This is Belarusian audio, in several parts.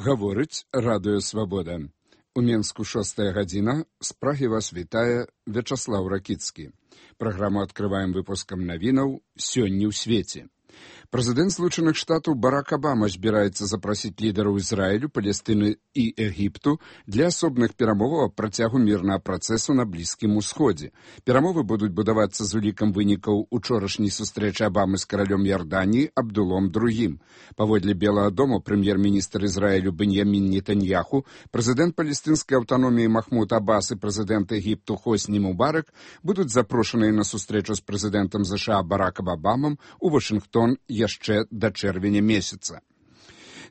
Гаворыць радыё «Свабода». У Менску 6 гадзіна. З Прагі вас вітае Вячаслаў Ракіцкі. Праграму адкрываем выпускам навінаў «Сёння ў свеце». Прэзідэнт Злучаных Штатаў Барак Абама збіраецца запрасіць лідараў Ізраілю, Палестыны і Егіпту для асобных перамоваў аб працягу мірнага працэсу на Блізкім Усходзе. Перамовы будуць будавацца з улікам вынікаў учорашняй сустрэчы Абамы з каралём Ярданіі Абдулом II. Паводле Белага дому прэм'ер-міністр Ізраілю Беньямін Нетаньяху, прэзідэнт палестынскай аўтаноміі Махмуд Аббас і прэзідэнт Егіпту Хосні Мубарак будуць запрошаныя на сустрэчу з прэзідэнтам США Баракам Абамам у Вашынгтон яшчэ да чэрвеня месяца.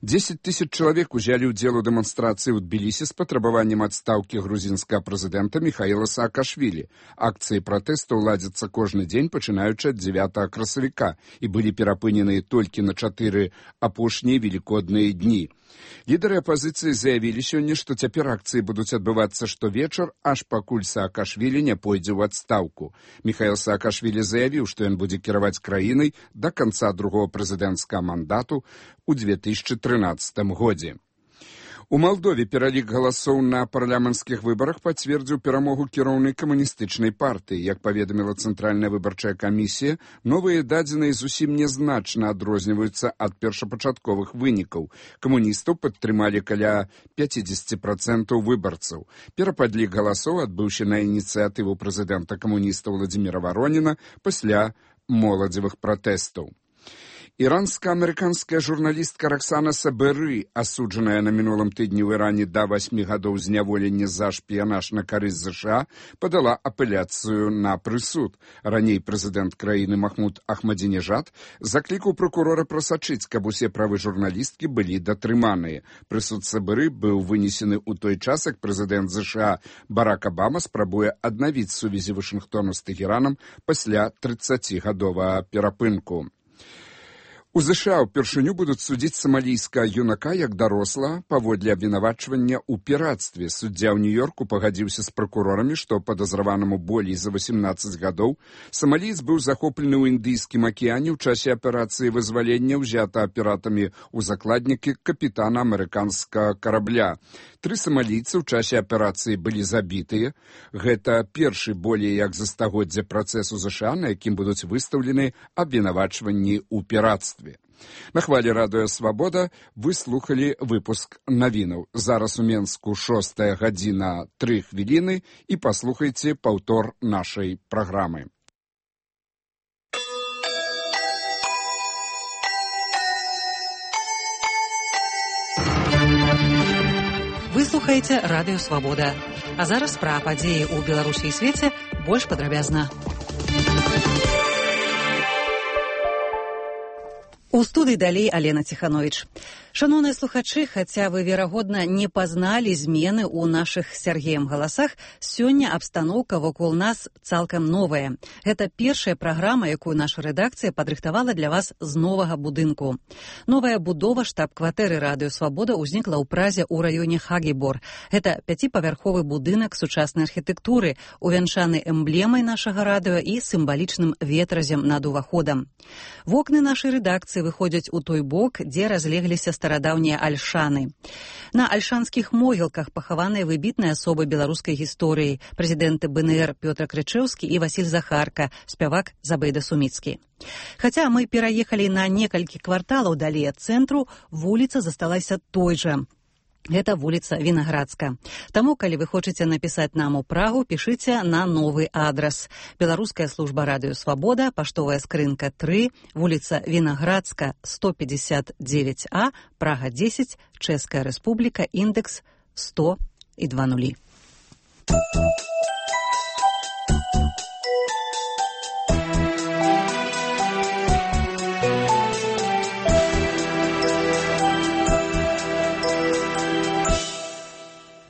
10 000 чалавек узялі ўдзел у дэманстрацыі ў Тбілісі з патрабаваннем адстаўкі грузінскага прэзідэнта Міхаіла Саакашвілі. Акцыі пратэсту ладзяцца кожны дзень, пачынаючы ад 9 красавіка, і былі перапыненыя толькі на 4 апошнія велікодныя дні. Лідары апазіцыі заявілі сёння, што цяпер акцыі будуць адбывацца штовечар, аж пакуль Саакашвілі не пойдзе ў адстаўку. Міхаіл Саакашвілі заявіў, што ён будзе кіраваць краінай да канца другого прэзідэнцкага мандату ў 2013 годзе. У Малдове пералік галасоў на парламенцкіх выбарах пацвердзіў перамогу кіроўнай камуністычнай партыі. Як паведаміла Цэнтральная выбарчая камісія, новыя дадзеныя зусім нязначна адрозніваюцца ад першапачатковых вынікаў. Камуністаў падтрымалі каля 50% выбарцаў. Перападлік галасоў адбыўся на ініцыятыву прэзідэнта камуніста Владзіміра Вароніна пасля моладзевых пратэстаў. Іранска-амерыканская журналістка Роксана Саберы, асуджаная на мінулым тыдні ў Іране да 8 гадоў зняволення за шпіянаж на карысць США, падала апеляцыю на прысуд. Раней прэзідэнт краіны Махмуд Ахмадзінежад заклікаў пракурора прасачыць, каб усе правы журналісткі былі датрыманыя. Прысуд Саберы быў вынесены ў той час, як прэзідэнт США Барак Абама спрабуе аднавіць сувязі Вашынгтону з Тэхеранам пасля 30-гадовага перапынку. У США ўпершыню будуць судзіць самалійскага юнака як даросла паводле абвінавачвання ў пірацтве. Суддзя ў Нью-Йорку пагадзіўся з пракурорамі, што падазраванаму болей за 18 гадоў самаліец быў захоплены ў Індыйскім акіяне ў часе аперацыі вызвалення, ўзята піратамі ў закладнікі капітана амерыканскага карабля. 3 самалійцы ў часе аперацыі былі забітыя. Гэта першы болей як за стагоддзя працэс у США, на якім будуць выстаўлены абвінавачванні ў піратстве. На хвалі радыё «Свабода» вы слухалі выпуск навінаў. Зараз у Менску 6 гадзіна 3 хвіліны і паслухайце паўтор нашай праграмы. Вы слухаеце радыё «Свабода». А зараз пра падзеі ў Беларусі і свеце больш падрабязна. У студыі далей Алена Ціхановіч. Шановныя слухачы, хаця вы, верагодна, не пазналі змены ў нашых з Сяргеем галасах, сёння абстаноўка вакол нас цалкам новая. Гэта першая праграма, якую наша рэдакцыя падрыхтавала для вас з новага будынку. Новая будова штаб-кватэры радыё «Свабода» ўзнікла ў Празе ў раёне Хагібор. Гэта 5-павярховы будынак сучаснай архітэктуры, увянчаны эмблемай нашага радыё і сімвалічным ветразем над уваходам. Вокны нашай рэдакцыі выходзяць у той бок, дзе разлегліся старадаўнія альшаны. На альшанскіх могілках пахаваныя выбітныя асобы беларускай гісторыі, прэзідэнты БНР Пётр Крычэўскі і Васіль Захарка, спявак Забейда Суміцкі. Хаця мы пераехалі на некалькі кварталаў далей ад цэнтру, вуліца засталася той жа. Гэта вуліца Вінаградска. Таму, калі вы хочаце напісаць нам у Прагу, пішыце на новы адрас. Беларуская служба радыё «Свабода», паштовая скрынка 3, вуліца Вінаградска, 159А, Прага 10, Чэшская рэспубліка, індекс 100 і 20.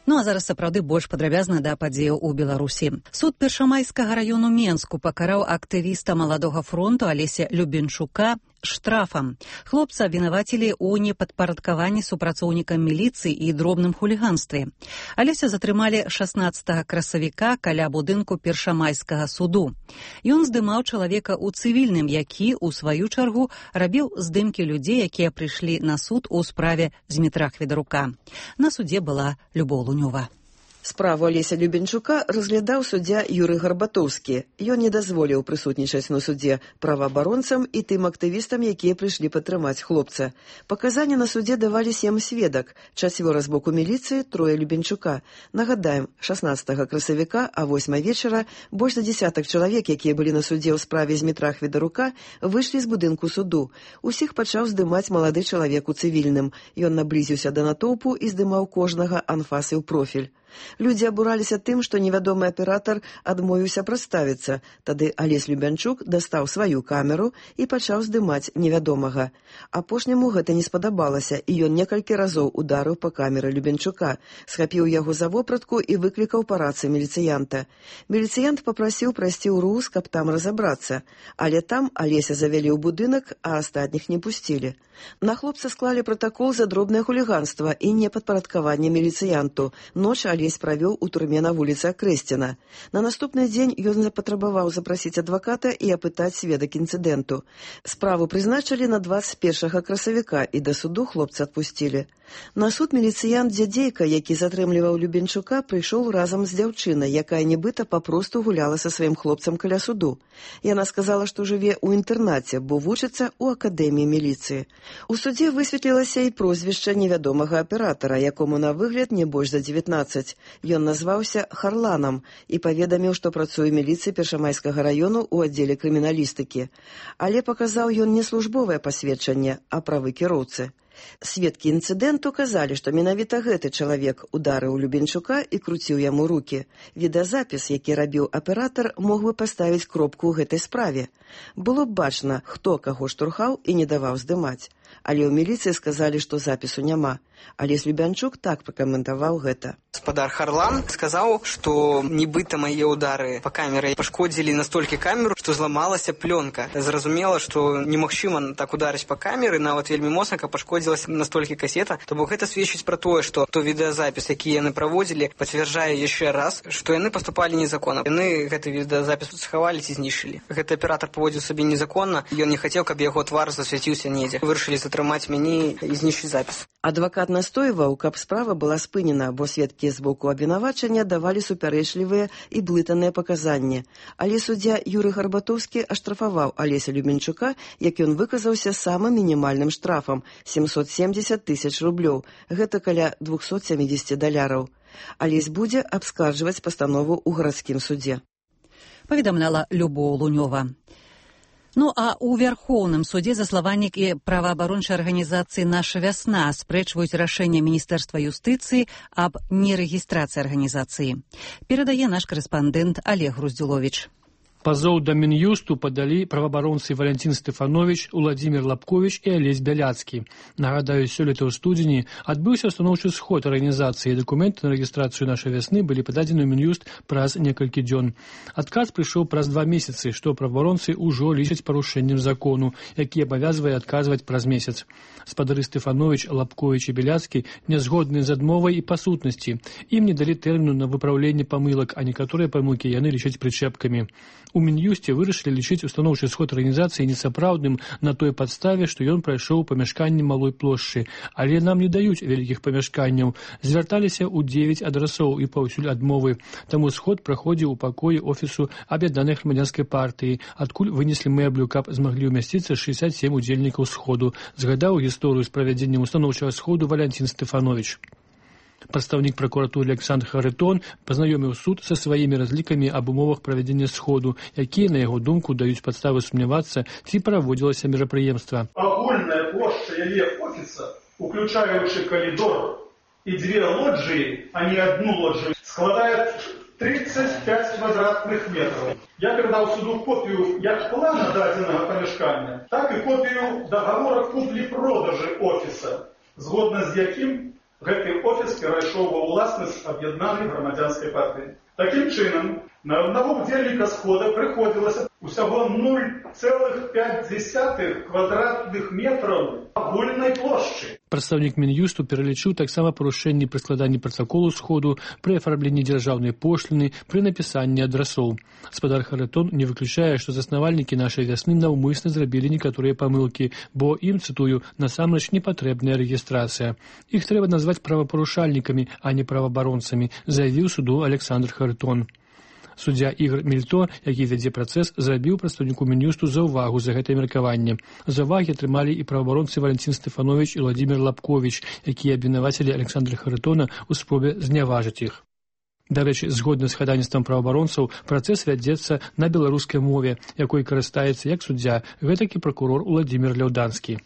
Ну, а зараз сапраўды больш падрабязна да падзеяў у Беларусі. Суд Першамайскага раёну Менску пакараў актывіста Маладога фронту Алеся Любенчука штрафам. Хлопца абвінавацілі ў непадпарадкаванні супрацоўнікам міліцыі і дробным хуліганстве. Алеся затрымалі 16 красавіка каля будынку першамайскага суду. Ён здымаў чалавека ў цывільным, які, у сваю чаргу, рабіў здымкі людзей, якія прыйшлі на суд у справе Змітра Хведарука. На судзе была Любоў Лунёва. Справу Алеся Любенчука разглядаў суддзя Юрый Гарбатоўскі. Ён не дазволіў прысутнічаць на судзе праваабаронцам і тым актывістам, якія прыйшлі падтрымаць хлопца. Паказанні на судзе давалі 7 сведак, 4 з боку міліцыі, 3 Любенчука. Нагадаем, 16 красавіка, а 8 вечара больш за десятак чалавек, якія былі на судзе ў справе Змітра Хведарука, выйшлі з будынку суду. Усіх пачаў здымаць малады чалавек у цывільным. Ён наблізіўся да натоўпу і здымаў кожнага анфасы ў профіль. Людзі абураліся тым, што невядомы аператар адмовіўся прадставіцца. Тады Алесь Любянчук дастаў сваю камеру і пачаў здымаць невядомага. Апошняму гэта не спадабалася, і ён некалькі разоў ударыў па камеры Любянчука, схапіў яго за вопратку і выклікаў па рацыі міліцыянта. Міліцыянт папрасіў прайсці ў РУС, каб там разабрацца. Але там Алеся завялі ў будынак, а астатніх не пусцілі. На хлопца склалі пратакол за дробнае хуліганства і непадпарадкаванне міліцыянту. Ноч Алесь правёў у турме на вуліцы Акрэсціна. На наступны дзень ён запатрабаваў запрасіць адваката і апытаць сведак інцыдэнту. Справу прызначылі на 21 красавіка і да суду хлопца адпусцілі. На суд міліцыянт Дзядзейка, які затрымліваў Любенчука, прыйшоў разам з дзяўчынай, якая нібыта папросту гуляла са сваім хлопцам каля суду. Яна сказала, што жыве ў інтэрнаце, бо вучыцца ў акадэміі міліцыі. У судзе высветлілася і прозвішча невядомага аператара, якому на выгляд не больш за 19. Ён назваўся Харланам і паведаміў, што працуе ў міліцыі Першамайскага раёну ў аддзеле крыміналістыкі. Але паказаў ён не службовае пасведчанне, а правы кіроўцы. Сведкі інцыдэнту казалі, што менавіта гэты чалавек ударыў Любенчука і круціў яму рукі. Відэазапіс, які рабіў аператар, мог бы паставіць кропку ў гэтай справе. Было б бачна, хто каго штурхаў і не даваў здымаць. Але ў міліцыі сказалі, што запісу няма. Алесь Любянчук так пракаментаваў гэта. Гаспадар Харлан сказаў, што нібыта мае ўдары па камеры пашкодзілі настолькі камеру, што зламалася плёнка. Зразумела, што немагчыма так ударыць па камеры, нават вельмі моцна, каб пашкодзілася настолькі касета. То бок гэта сведчыць пра тое, што то відэазапіс, які яны праводзілі, пацвярджае яшчэ раз, што яны паступалі незаконна. Яны гэты відэазапіс схавалі ці знішчылі. Гэты аператар паводзіў сабе незаконна, ён не хацеў, каб яго твар засвяціўся недзе. Вырашылі затрымаць мяне і знішчыць запіс. Адвакат настойваў, каб справа была спынена, бо сведкі з боку абвінавачання давалі супярэчлівыя і блытаныя паказанні. Але суддзя Юрый Гарбатоўскі аштрафаваў Алеся Любенчука, як ён выказаўся самым мінімальным штрафам – 770 000 рублёў. Гэта каля $270. Алесь будзе абскарджваць пастанову ў гарадскім судзе. Паведамляла Любоў Лунёва. Ну а ў Вярхоўным судзе заславальнікі праваабарончай арганізацыі «Наша вясна» спрэчваюць рашэнне Міністэрства юстыцыі аб нерэгістрацыі арганізацыі. Перадае наш корэспандэнт Олег Груздзюловіч. Пазоў да Мін'юсту падалі праваабаронцы Валентин Стефанович, Уладзімір Лапкович і Алесь Бяляцкі. Нагадаю, сёлета ў студзені адбыўся устаноўчы сход арганізацыі. Дакументы на рэгістрацыю «Нашай вясны» былі пададзены ў Мін'юст праз некалькі дзён. Адказ прыйшоў праз 2 месяцы, што праваабаронцы ўжо лічаць парушэннем закону, які абавязвае адказваць праз месяц. Спадары Стефанович, Лапкович і Бяляцкі не згодныя з адмовай і па сутнасці. Ім не далі тэрміну на выпраўленне памылак, а некаторыя памылкі яны лічаць прычэпкамі. У Мін'юсце вырашылі лічыць устаноўчы сход арганізацыі несапраўдным на той падставе, што ён прайшоў памяшканне малой плошчы, але нам не даюць вялікіх памяшканняў. Звярталіся ў 9 адрасоў і паўсюль адмовы. Таму сход праходзіў у пакоі офісу Аб'яднанай грамадзянскай партыі, адкуль вынеслі мэблю, каб змаглі ўмясціцца 67 удзельнікаў сходу. Згадаў гісторыю з правядзеннем устаноўчага сходу Валентин Стефанович. Прадстаўнік пракуратуры Александр Харитон пазнаёміў суд са сваімі разлікамі аб умовах правядзення сходу, якія, на яго думку, даюць падставы сумнявацца, ці праводзілася мерапрыемства. Агульная плошча яе офіса, уключаючы калідор і 2 лоджыі, а не 1 лоджыю, складае 35 квадратных метров. Я передал суду копию як плана дадзенага памяшкання, так і копію договора куплі-продажы офіса, згодна з якім гэты офіс перайшоў ва ўласнасць Аб'яднанай грамадзянскай партыі. Такім чынам, На одного удзельніка схода прыходзілася усяго 0,5 квадратных метраў агульнай плошчы. Прадстаўнік Мін'юсту пералічыў таксама парушэнні пры складанні пратаколу сходу, пры афармленні дзяржаўнай пошліны, пры напісанні адрасоў. Спадар Харытон не выключае, што заснавальнікі нашай вясны наўмысна зрабілі некаторыя памылкі, бо ім, цытую, насамрэч не патрэбная рэгістрацыя. Іх трэба назваць правапарушальнікамі, а не праваабаронцамі, заявіў суду Александр Харытон. Суддзя Ігор Мільто, які вядзе працэс, зрабіў прадстаўніку Мін'юсту заўвагу за гэтае меркаванне. Заўвагі атрымалі і праваабаронцы Валентин Стефанович і Владимир Лапкович, якія абвінавацілі Александра Харытона ў спробе зняважыць іх. Дарэчы, згодна з хадайніцтвам праваабаронцаў, працэс вядзецца на беларускай мове, якой карыстаецца як суддзя, гэтак і пракурор Уладзімір Ляўданскі.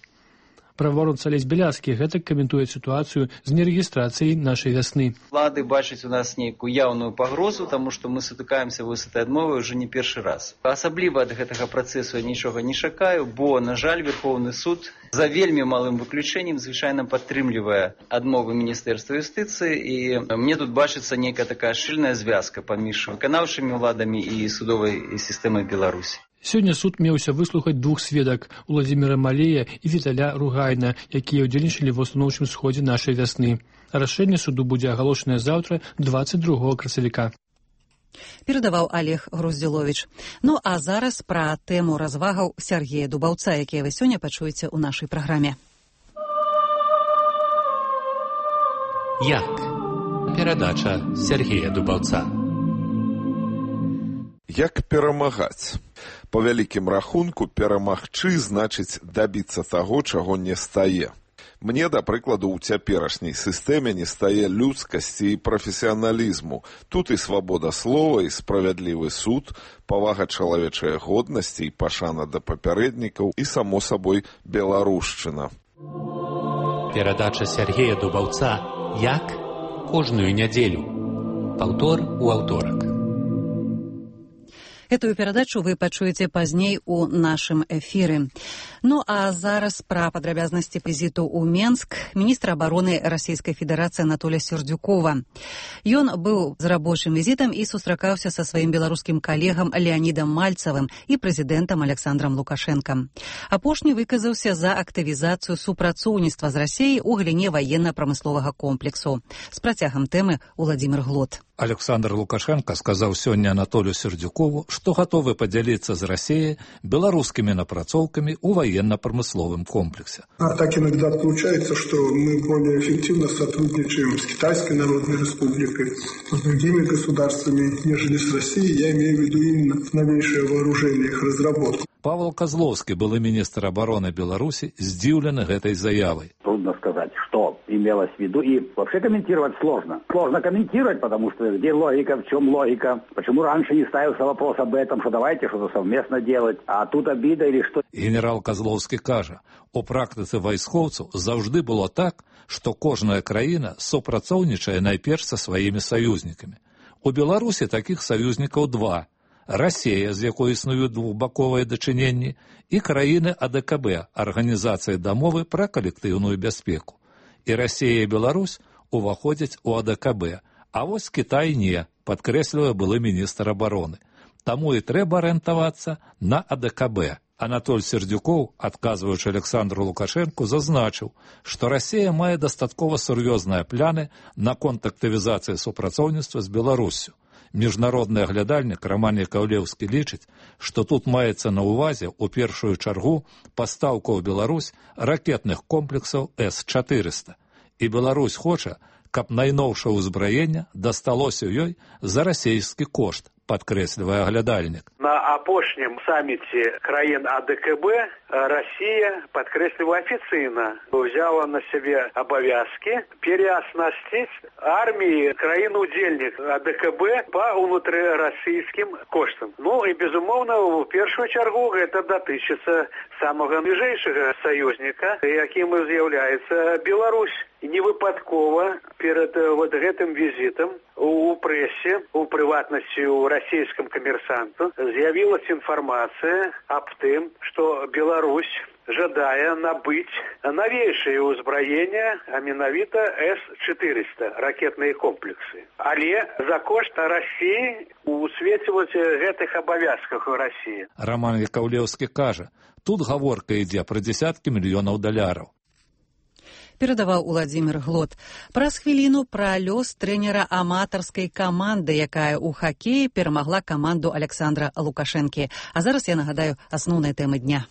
Праваабаронца Алесь Бяляцкі гэтак каментуе сітуацыю з нерэгістрацыяй нашай вясны. Улады бачаць у нас нейкую яўную пагрозу, таму што мы сутыкаемся з этой адмовай уже не першы раз. Асабліва ад гэтага працэсу я нічога не чакаю, бо, на жаль, Верховны суд за вельмі малым выключэннем звычайна падтрымлівае адмовы Міністэрства юстыцыі, і мне тут бачыцца нейкая такая шчыльная звязка паміж выканаўчымі ўладамі і судовай сістэмай Беларусі. Сёння суд меўся выслухаць двух сведак – Уладзіміра Малея і Віталя Ругайна, якія ўдзельнічалі ва ўстаноўчым сходзе нашай вясны. Рашэнне суду будзе агалошанае заўтра, 22 красавіка. Перадаваў Олег Груздзіловіч. Ну а зараз пра тэму развагаў Сергея Дубаўца, якія вы сёння пачуеце ў нашай праграме. Як? Перадача Сергея Дубаўца. Як перамагаць? Па вялікім рахунку, перамагчы значыць дабіцца таго, чаго не стае. Мне, да прыкладу, у цяперашняй сістэме не стае людскасці і прафесіяналізму. Тут і свабода слова, і справядлівы суд, павага чалавечай годнасці і пашана да папярэднікаў, і, само сабой, беларушчына. Перадача Сергея Дубаўца «Як?» кожную нядзелю. Паўтор у аўторак. Этую перадачу вы пачуеце пазней у нашым эфіры. Ну а зараз пра падрабязнасці візіту ў Менск міністра абароны Расійскай Федэрацыі Анатолія Сердюкова. Ён быў з рабочым візітам і сустракаўся са сваім беларускім калегам Леанідам Мальцавым і прэзідэнтам Александрам Лукашэнкам. Апошні выказаўся за актывізацыю супрацоўніцтва з Расіяй у галіне ваенна-прамысловага комплексу. З працягам тэмы Уладзімір Глот. Александр Лукашенко сказаў сёння Анатолию Сердюкову, што гатовы падзяліцца з Расіяй беларускімі напрацоўкамі ў военно-промысловом комплексе. А так иногда получается, что мы более эффективно сотрудничаем с Китайской Народной Республикой, с другими государствами, нежели с Россией. Я имею в виду именно новейшее вооружение, их разработку. Павел Козловский, былы министр обороны Беларуси, здивлен этой заявой. Трудно сказать, что имелось в виду, и вообще комментировать сложно. Сложно комментировать, потому что где логика, в чем логика, почему раньше не ставился вопрос об этом, что давайте что-то совместно делать, а тут обида или что. Генерал Козловский каже, у практицы вайскоўцаў заўжды было так, что кожная краіна супрацоўнічае найперш са сваімі саюзнікамі. У Беларусі таких саюзнікаў два. Расія, з якой існуюць двухбаковыя дачыненні, і краіны АДКБ, Арганізацыі дамовы пра калектыўную бяспеку. І Расія і Беларусь уваходзяць у АДКБ, а вось Кітай не, падкрэслівае былы міністр абароны. Таму і трэба арыентавацца на АДКБ. Анатоль Сердюков, адказваючы Александру Лукашенку, зазначыў, што Расія мае дастаткова сур'ёзныя пляны наконт актывізацыі супрацоўніцтва з Беларуссю. Міжнародны аглядальнік Роман Яковлеўскі лічыць, што тут маецца на ўвазе ў першую чаргу пастаўку ў Беларусь ракетных комплексаў С-400. І Беларусь хоча, каб найноўшае ўзбраенне дасталося ёй за расійскі кошт, падкрэслівае аглядальнік. На апошнім саміце краін АДКБ Россия, падкрэсліваю афіцыйна, взяла на себе обовязки переоснастить армии краін-удзельник АДКБ по внутрирасійским коштам. Ну и, безумовно, в первую чергу это датычыцца самого ближайшего союзника, яким и з'яўляецца Беларусь. І невыпадкова перед вот гэтым визитом у прессе, у прыватнасці у расійскім камерсанту, з'явілась інфармацыя аб тым, што Беларусь жадае набыць новейшее ўзбраенне, а менавіта С-400 ракетныя комплексы. Але за кошт Расіі у свеце гэтых абавязках у Расіі. Роман Яковлевскі кажа, тут гаворка ідзе пра дзесяткі мільёнаў даляраў. Перадаваў Уладзімір Глот. Праз хвіліну пра лёс трэнера аматарскай каманды, якая ў хакеі перамагла каманду Александра Лукашэнкі. А зараз я нагадаю асноўныя тэмы дня.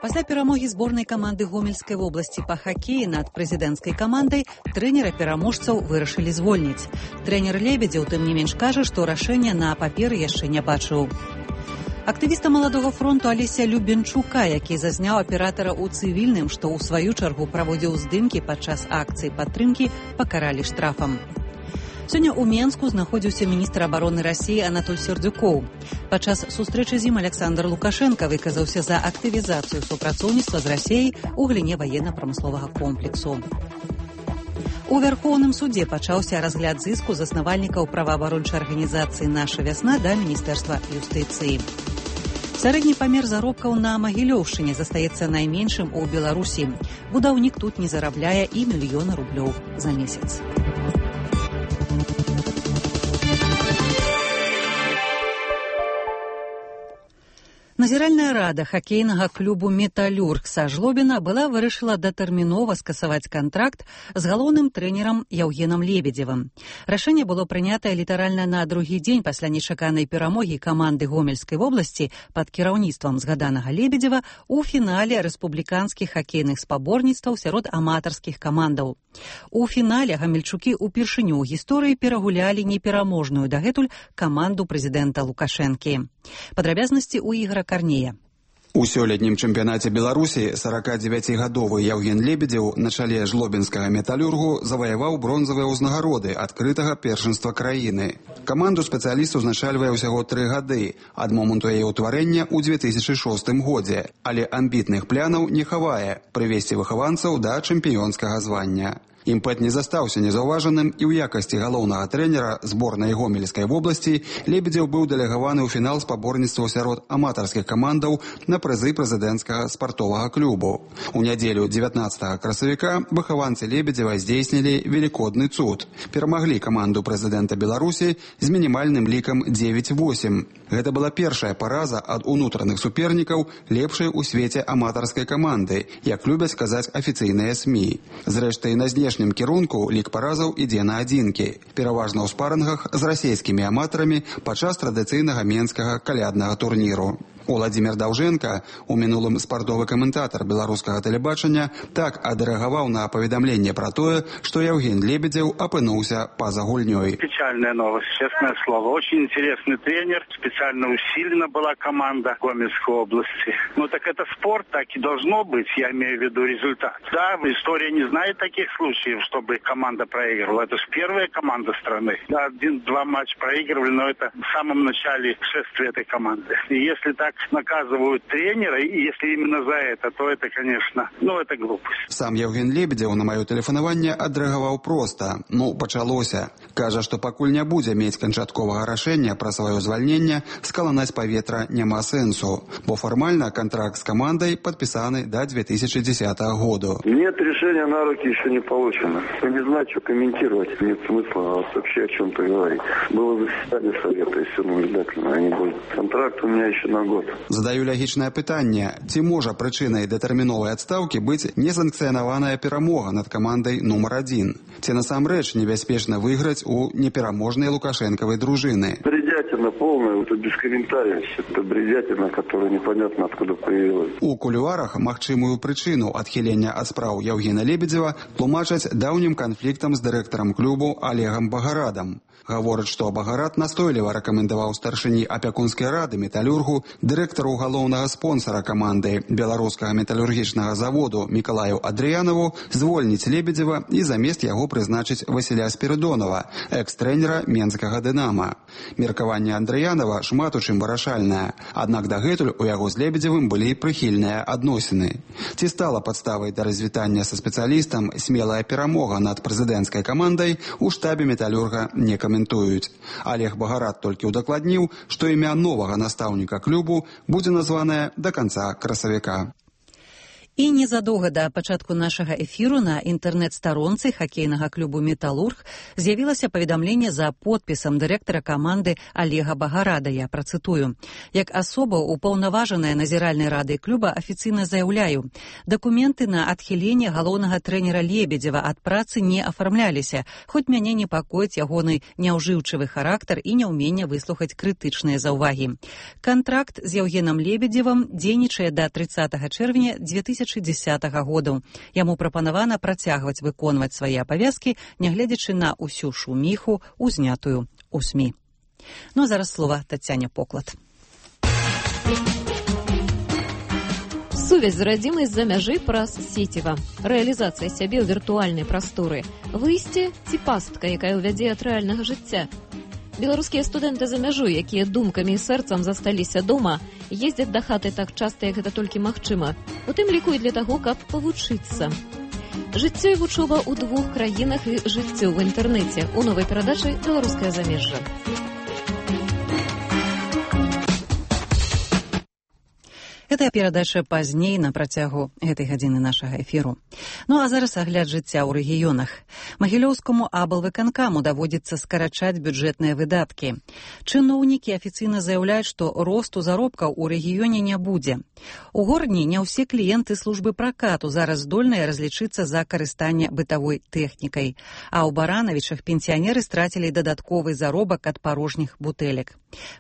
Пасля перамогі зборнай каманды Гомельскай вобласці па хакеі над прэзідэнцкай камандай трэнера-пераможцаў вырашылі звольніць. Трэнер Лебедзеў, тым не менш, кажа, што рашэння на паперы яшчэ не бачыў. Актывіста Маладога фронту Алеся Любенчука, які зазняў аператара ў цывільным, што ў сваю чаргу праводзіў здымкі падчас акцыі падтрымкі, пакаралі штрафам. Сёння ў Менску знаходзіўся міністр абароны Расіі Анатоль Сердюкоў. Падчас сустрэчы з ім Александр Лукашенко выказаўся за актывізацыю супрацоўніцтва з Расіяй у галіне ваенна-прамысловага комплексу. У Вярхоўным судзе пачаўся разгляд зыску заснавальнікаў праваабарончай арганізацыі «Наша вясна» да Міністэрства юстыцыі. Сярэдні памер заробкаў на Магілёўшчыне застаецца найменшым у Беларусі. Будаўнік тут не зарабляе і 1 000 000 рублёў за месяц. Назіральная рада хакейнага клубу «Металлюрг» са Жлобіна была вырашыла датэрмінова скасаваць кантракт з галоўным трэнерам Яўгенам Лебедзевым. Рашэнне было прынятае літаральна на другі дзень пасля нечаканай перамогі каманды Гомельскай вобласці пад кіраўніцтвам згаданага Лебедзева ў фінале рэспубліканскіх хакейных спаборніцтваў сярод аматарскіх камандаў. У фінале гамельчукі ўпершыню ў гісторыі перагулялі непераможную дагэтуль каманду прэзідэнта Лукашэнкі. Падрабязнасці ў Ігора Карнея. У сёлетнім чэмпіянаце Беларусі 49-гадовы Яўген Лебедзеў на чале жлобінскага «Металлюргу» заваяваў бронзавыя ўзнагароды адкрытага першынства краіны. Каманду спецыяліст узначальвае ўсяго 3 гады ад моманту яе ўтварэння ў 2006 годзе, але амбітных планаў не хавае прывесці выхаванцаў да чэмпіёнскага звання. Імпэт не застаўся незаўважаным і ў якасці галоўнага трэнера зборнай Гомельскай вобласці Лебедзеў быў дэлегаваны ў фінал спаборніцтваў сярод аматарскіх камандаў на прызы прэзідэнцкага спартовага клубу. У нядзелю 19 красавіка выхаванцы Лебедзева здзейснілі велікодны цуд. Перамаглі каманду прэзідэнта Беларусі з мінімальным лікам 9-8. Гэта была першая параза ад унутраных супернікаў лепшай у свеце аматарскай каманды, як любяць казаць афіцыйныя СМІ. Зрэшты, на знешнім кірунку лік паразаў ідзе на адзінкі, пераважна ў спарынгах з расійскімі аматарамі падчас традыцыйнага менскага каляднага турніру. Уладзімір Даўжэнка, у мінулым спартовы каментатар беларускага тэлебачання, так адрэагаваў на паведамленне пра тое, што Яўген Лебедзеў апынуўся па-за гульнёй. Печальная новость, честное слово. Очень интересный тренер, специально усилена была команда Гомельской области. Ну так это спорт, так и должно быть, я имею в виду результат. Да, история не знает таких случаев, чтобы команда проигрывала. Это же первая команда страны. Да, 1-2 матча проигрывали, но это в самом начале шествия этой команды. И если так наказывают тренера, и если именно за это, то это, конечно, это глупость. Сам Яўген Лебедзеў на маё тэлефанаванне адрэагаваў проста. Пачалося. Кажа, што пакуль не будзе мець канчатковага рашэння пра сваё звальненне, скаланаць паветра няма сэнсу, бо фармальна контракт с командой подписаны до 2010 года. Нет, решения на руки еще не получено. Не знаю, что комментировать. Нет смысла вообще о чем-то говорить. Было заседание совета, и все наблюдательно, а не будет. Контракт у меня еще на год. Задаю логічнае пытанне. Ці можа прычынай датэрміновай адстаўкі быць несанкцыянаваная перамога над камандай нумар 1? Ці насамрэч небяспечна выйграць у непераможнай лукашэнкавай дружыны? Бредятина полная, это без комментариев. Это бредятина, которая непонятно откуда появилась. У кулуарах магчымую прычыну адхілення ад спраў Яўгена Лебедзева тлумачаць даўнім канфліктам з дырэктарам клубу Олегам Багарадам. Гаворыць, што Багарад настойліва рэкамендаваў старшыні апякунскай рады «Металлюргу», дырэктару галоўнага спонсара каманды беларускага металлургічнага заводу Мікалаю Адрыянаву звольніць Лебедзева і замест яго прызначыць Васіля Спірыдонава, экс-трэнера менскага «Дынама». Меркаванне Андрыянава шмат у чым вырашальнае, аднак дагэтуль у яго з Лебедзевым былі прыхільныя адносіны. Ці стала падставай да развітання са спецыялістам смелая перамога над прэзідэнцкай камандай, у штабе «Металлюрга» не каментуюць. каментуюць. Олег Багарат толькі удакладніў, што імя новага настаўніка клубу будзе названае да канца красавіка. І незадоўга да пачатку нашага эфіру на інтэрнэт-старонцы хакейнага клубу «Металург» з'явілася паведамленне за подпісам дырэктара каманды Олега Багарада. Я працытую. Як асоба упаўнаважаная назіральнай рады клуба афіцыйна заяўляю, дакументы на адхіленне галоўнага трэнера Лебедзева ад працы не афармляліся, хоць мяне непакоіць ягоны няўжыўчывы характар і няўменне выслухаць крытычныя заўвагі. Кантракт з Яўгенам Лебедзевым дзейнічае да 30 чэрвеня 2010 года. Яму прапанавана працягваць выконваць свае абавязкі, нягледзячы на ўсю шуміху, узнятую ў СМІ. Ну а зараз слова Тацяне Поклад. Сувязь з радзімай з-за мяжы праз сеціва. Рэалізацыя сябе ў віртуальнай прасторы. Выйсце ці пастка, якая ўвядзе ад рэальнага жыцця. Беларускія студэнты за мяжу, якія думкамі і сэрцам засталіся дома, ездзяць да хаты так часта, як гэта толькі магчыма. У тым ліку і для таго, каб павучыцца. Жыццё і вучоба ў 2 краінах і жыццё ў інтэрнэце. У новай перадачы «Беларускае замежжа». Гэтая перадача пазней на працягу гэтай гадзіны нашага эфіру. Ну а зараз агляд жыцця ў рэгіёнах. Магілёўскаму аблвыканкаму даводзіцца скарачаць бюджэтныя выдаткі. Чыноўнікі афіцыйна заяўляюць, што росту заробкаў у рэгіёне не будзе. У Гордні не ўсе кліенты службы пракату зараз здольныя разлічыцца за карыстанне бытавой тэхнікай. А ў Баранавічах пенсіянеры страцілі дадатковы заробак ад парожніх бутэлек.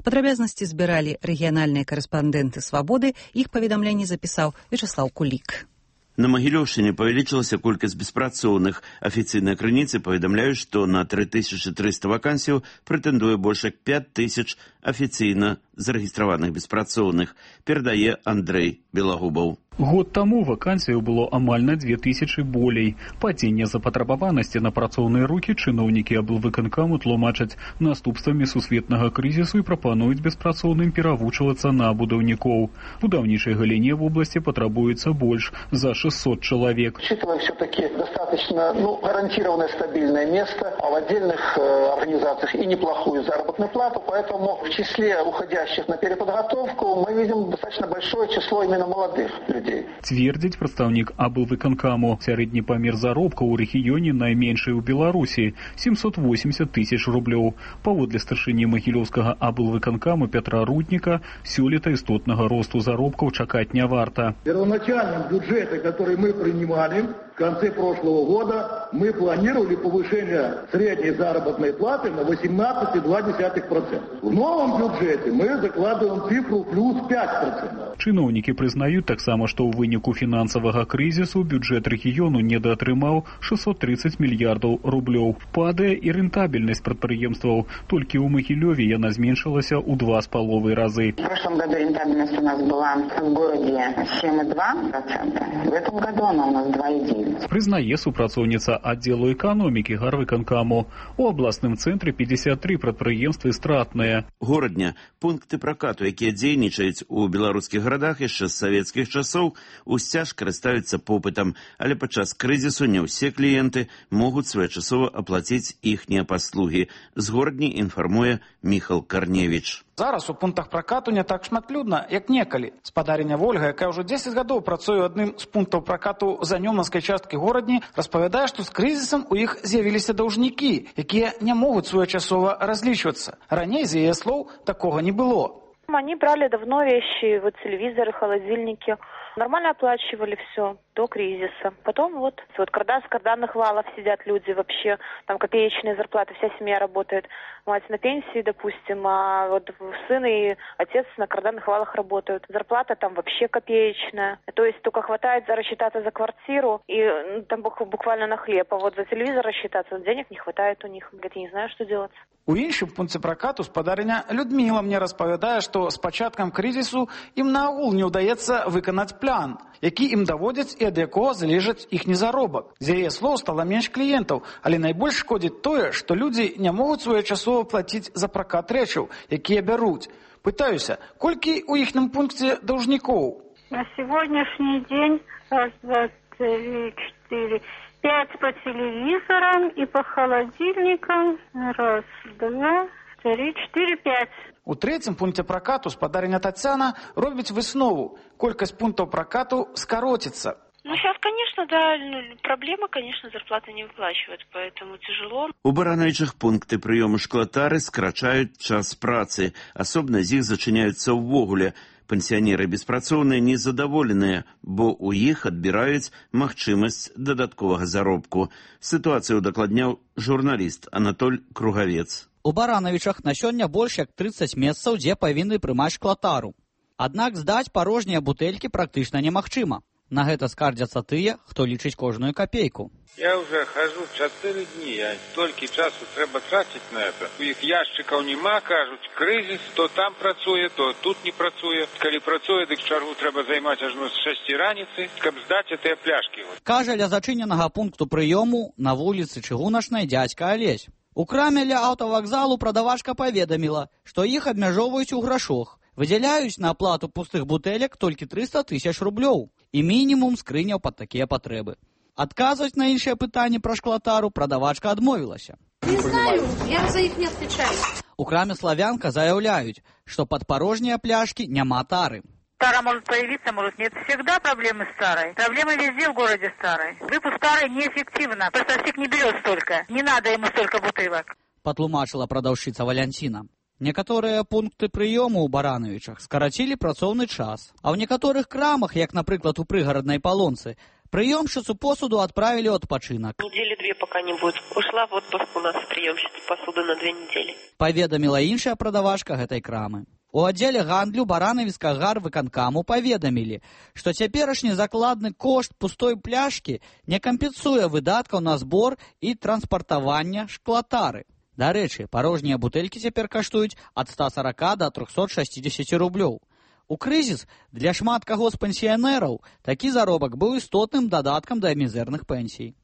Падрабязнасці збіралі рэгіянальныя карэспандэнты «Свабоды». Іх паведамленне запісаў Вячаслаў Кулік. На Магілёўшчыне павялічылася колькасць беспрацоўных. Афіцыйныя крыніцы паведамляюць, што на 3300 вакансіяў прэтэндуе больш як 5000 афіцыйна зарэгістраваных беспрацоўных, перадае Андрэй Белагубаў. Год таму вакансіяў было амаль на 2000 болей. Падзенне запатрабаванасці на працоўныя рукі чыноўнікі аблвыканкаму тлумачаць наступствамі сусветнага крызісу і прапануюць беспрацоўным перавучвацца на будаўнікоў. Будаўнічай галіне в области потребуется больше за 600 человек. Учитывая все-таки достаточно гарантированное стабильное место, а в отдельных организациях и неплохую заработную плату, поэтому в числе уходящих на переподготовку мы видим достаточно большое число именно молодых людей. Цвердзіць прадстаўнік аблвыканкаму. Сярэдні памер заробка ў рэгіёне найменшы ў Беларусі – 780 000 рублёў. Паводле старшыні магілёўскага аблвыканкаму Петра Рудніка, сёлета істотнага росту заробкаў чакаць не варта. Первоначальном бюджете, который мы принимали в конце прошлого года, мы планировали повышение средней заработной платы на 18,2%. В новом бюджете мы закладываем цифру плюс 5%. Чыноўнікі прызнаюць таксама, што ў выніку фінансавага крызісу бюджэт рэгіёну недаатрымаў 630 мільярдаў рублёў. Падае і рэнтабельнасць прадпрыемстваў. Толькі ў Магілёве яна зменшылася ў 2,5 разы. В прошлом году рентабельность у нас была в городе 7,2%. В этом году она у нас 2,9%. Прызнае супрацоўніца аддзелу эканомікі гарвыканкаму. У абласным цэнтры 53 прадпрыемствы стратныя. Горадня пункты пракату, якія дзейнічаюць у беларускіх гарадах яшчэ з савецкіх часоў, усцяж карыстаюцца попытам, але падчас крызісу не ўсе кліенты могуць своечасова аплаціць іхнія паслугі. З Гордні інфармуе Міхал Карневіч. Зараз у пунктах пракату не так шматлюдна, як некалі. Спадарыня Вольга, якая ўжо 10 гадоў працуе адным з пунктаў пракату за Нёманскай часткі Горадні, распавядае, што з крызісам у іх з'явіліся даўжнікі, якія не могуць своечасова разлічвацца. Раней, з яе слоў, такога не было. Они брали давно вещи, вот телевизоры, холодильники. Нормально оплачивали все до кризиса. Потом вот с карданных валов сидят люди вообще, там копеечные зарплаты, вся семья работает. Мать на пенсии, допустим, а вот сын и отец на карданных валах работают. Зарплата там вообще копеечная. То есть только хватает рассчитаться за квартиру и там буквально на хлеб. А вот за телевизор рассчитаться, денег не хватает у них. Говорит, я не знаю, что делать. У іншым пункце пракату спадарыня Людміла мне распавядае, што з пачаткам крызісу ім наогул не ўдаецца выканаць план, які ім даводзяць і ад якога залежыць іхні заробак. З яе слоў стала менш кліентаў, але найбольш шкодзіць тое, што людзі не могуць своечасова плаціць за пракат рэчаў, якія бяруць. Пытаюся, колькі ў іхным пункце даўжнікоў? На сегодняшний день 1, 2, 3, 4, 5 по телевизорам и по холодильникам. 1, 2, 3, 4, 5. У трэцім пункце пракату спадарня Тацяна робіць выснову. Колькасць пунктаў пракату скароціцца. Сейчас, конечно, да, проблема, конечно, зарплаты не выплачивают, поэтому тяжело. У Барановичах пункты прыёму шклатары скрачаюць час працы. Асобна з іх зачыняюцца ўвогуле. Пенсіянеры беспрацоўныя незадаволеныя, бо ў іх адбіраюць магчымасць дадатковага заробку. Сітуацыю дакладняў журналіст Анатоль Кругавец. У Барановичах на сёння больш як 30 месцаў, дзе павінны прымаць шклатару. Аднак здаць парожнія бутэлькі практычна немагчыма. На гэта скардзяцца тыя, хто лічыць кожную капейку. Я уже хожу 4 дні, а толькі часу трэба траціць на это. У іх яшчыкаў нема, кажуць, крызіс, то там працуе, то тут не працуе. Калі працуе, дык чаргу трэба займаць ажно з 6 раніцы, каб здаць гэтыя пляшкі. Кажа ля зачыненага пункту прыёму на вуліцы Чыгуначнай дзядзька Алесь. У краме ля аўтавакзалу прадавачка паведаміла, што іх абмяжоўваюць у грашох. Выдзяляюць на аплату пустых бутэлек толькі 300 000 рублёў і мінімум скрыняў пад такія патрэбы. Адказваць на іншыя пытанні пра шклатару прадавачка адмовілася. Не знаю, я за іх не отвечаю. У краме «Славянка» заяўляюць, што пад парожнія пляшкі няма тары. Тара может появиться, может нет. Всегда проблемы с тарой. Проблемы везде в городе с тарой. Выпуск тары неэффективно. Поставщик не берет столько. Не надо ему столько бутылок. Патлумачыла прадаўшчыца Валянціна. Некаторыя пункты прыёму ў Барановичах скарацілі працоўны час, а ў некаторых крамах, як, напрыклад, у прыгараднай Палонцы, прыёмшчыцу посуду адправілі ў адпачынак. Недели 2 пока не будет. Ушла в отпуск у нас приемщица посуды на 2 недели. Паведаміла іншая прадавачка гэтай крамы. У аддзеле гандлю Барановіцкага гарвыканкаму паведамілі, што цяперашні закладны кошт пустой пляшкі не кампенсуе выдаткаў на збор і транспартавання шклатары. Дарэчы, парожнія бутэлькі цяпер каштуюць ад 140 до 360 рублёў. У крызіс для шмат каго з пенсіянераў такі заробак быў істотным дадаткам да мізэрных пенсій.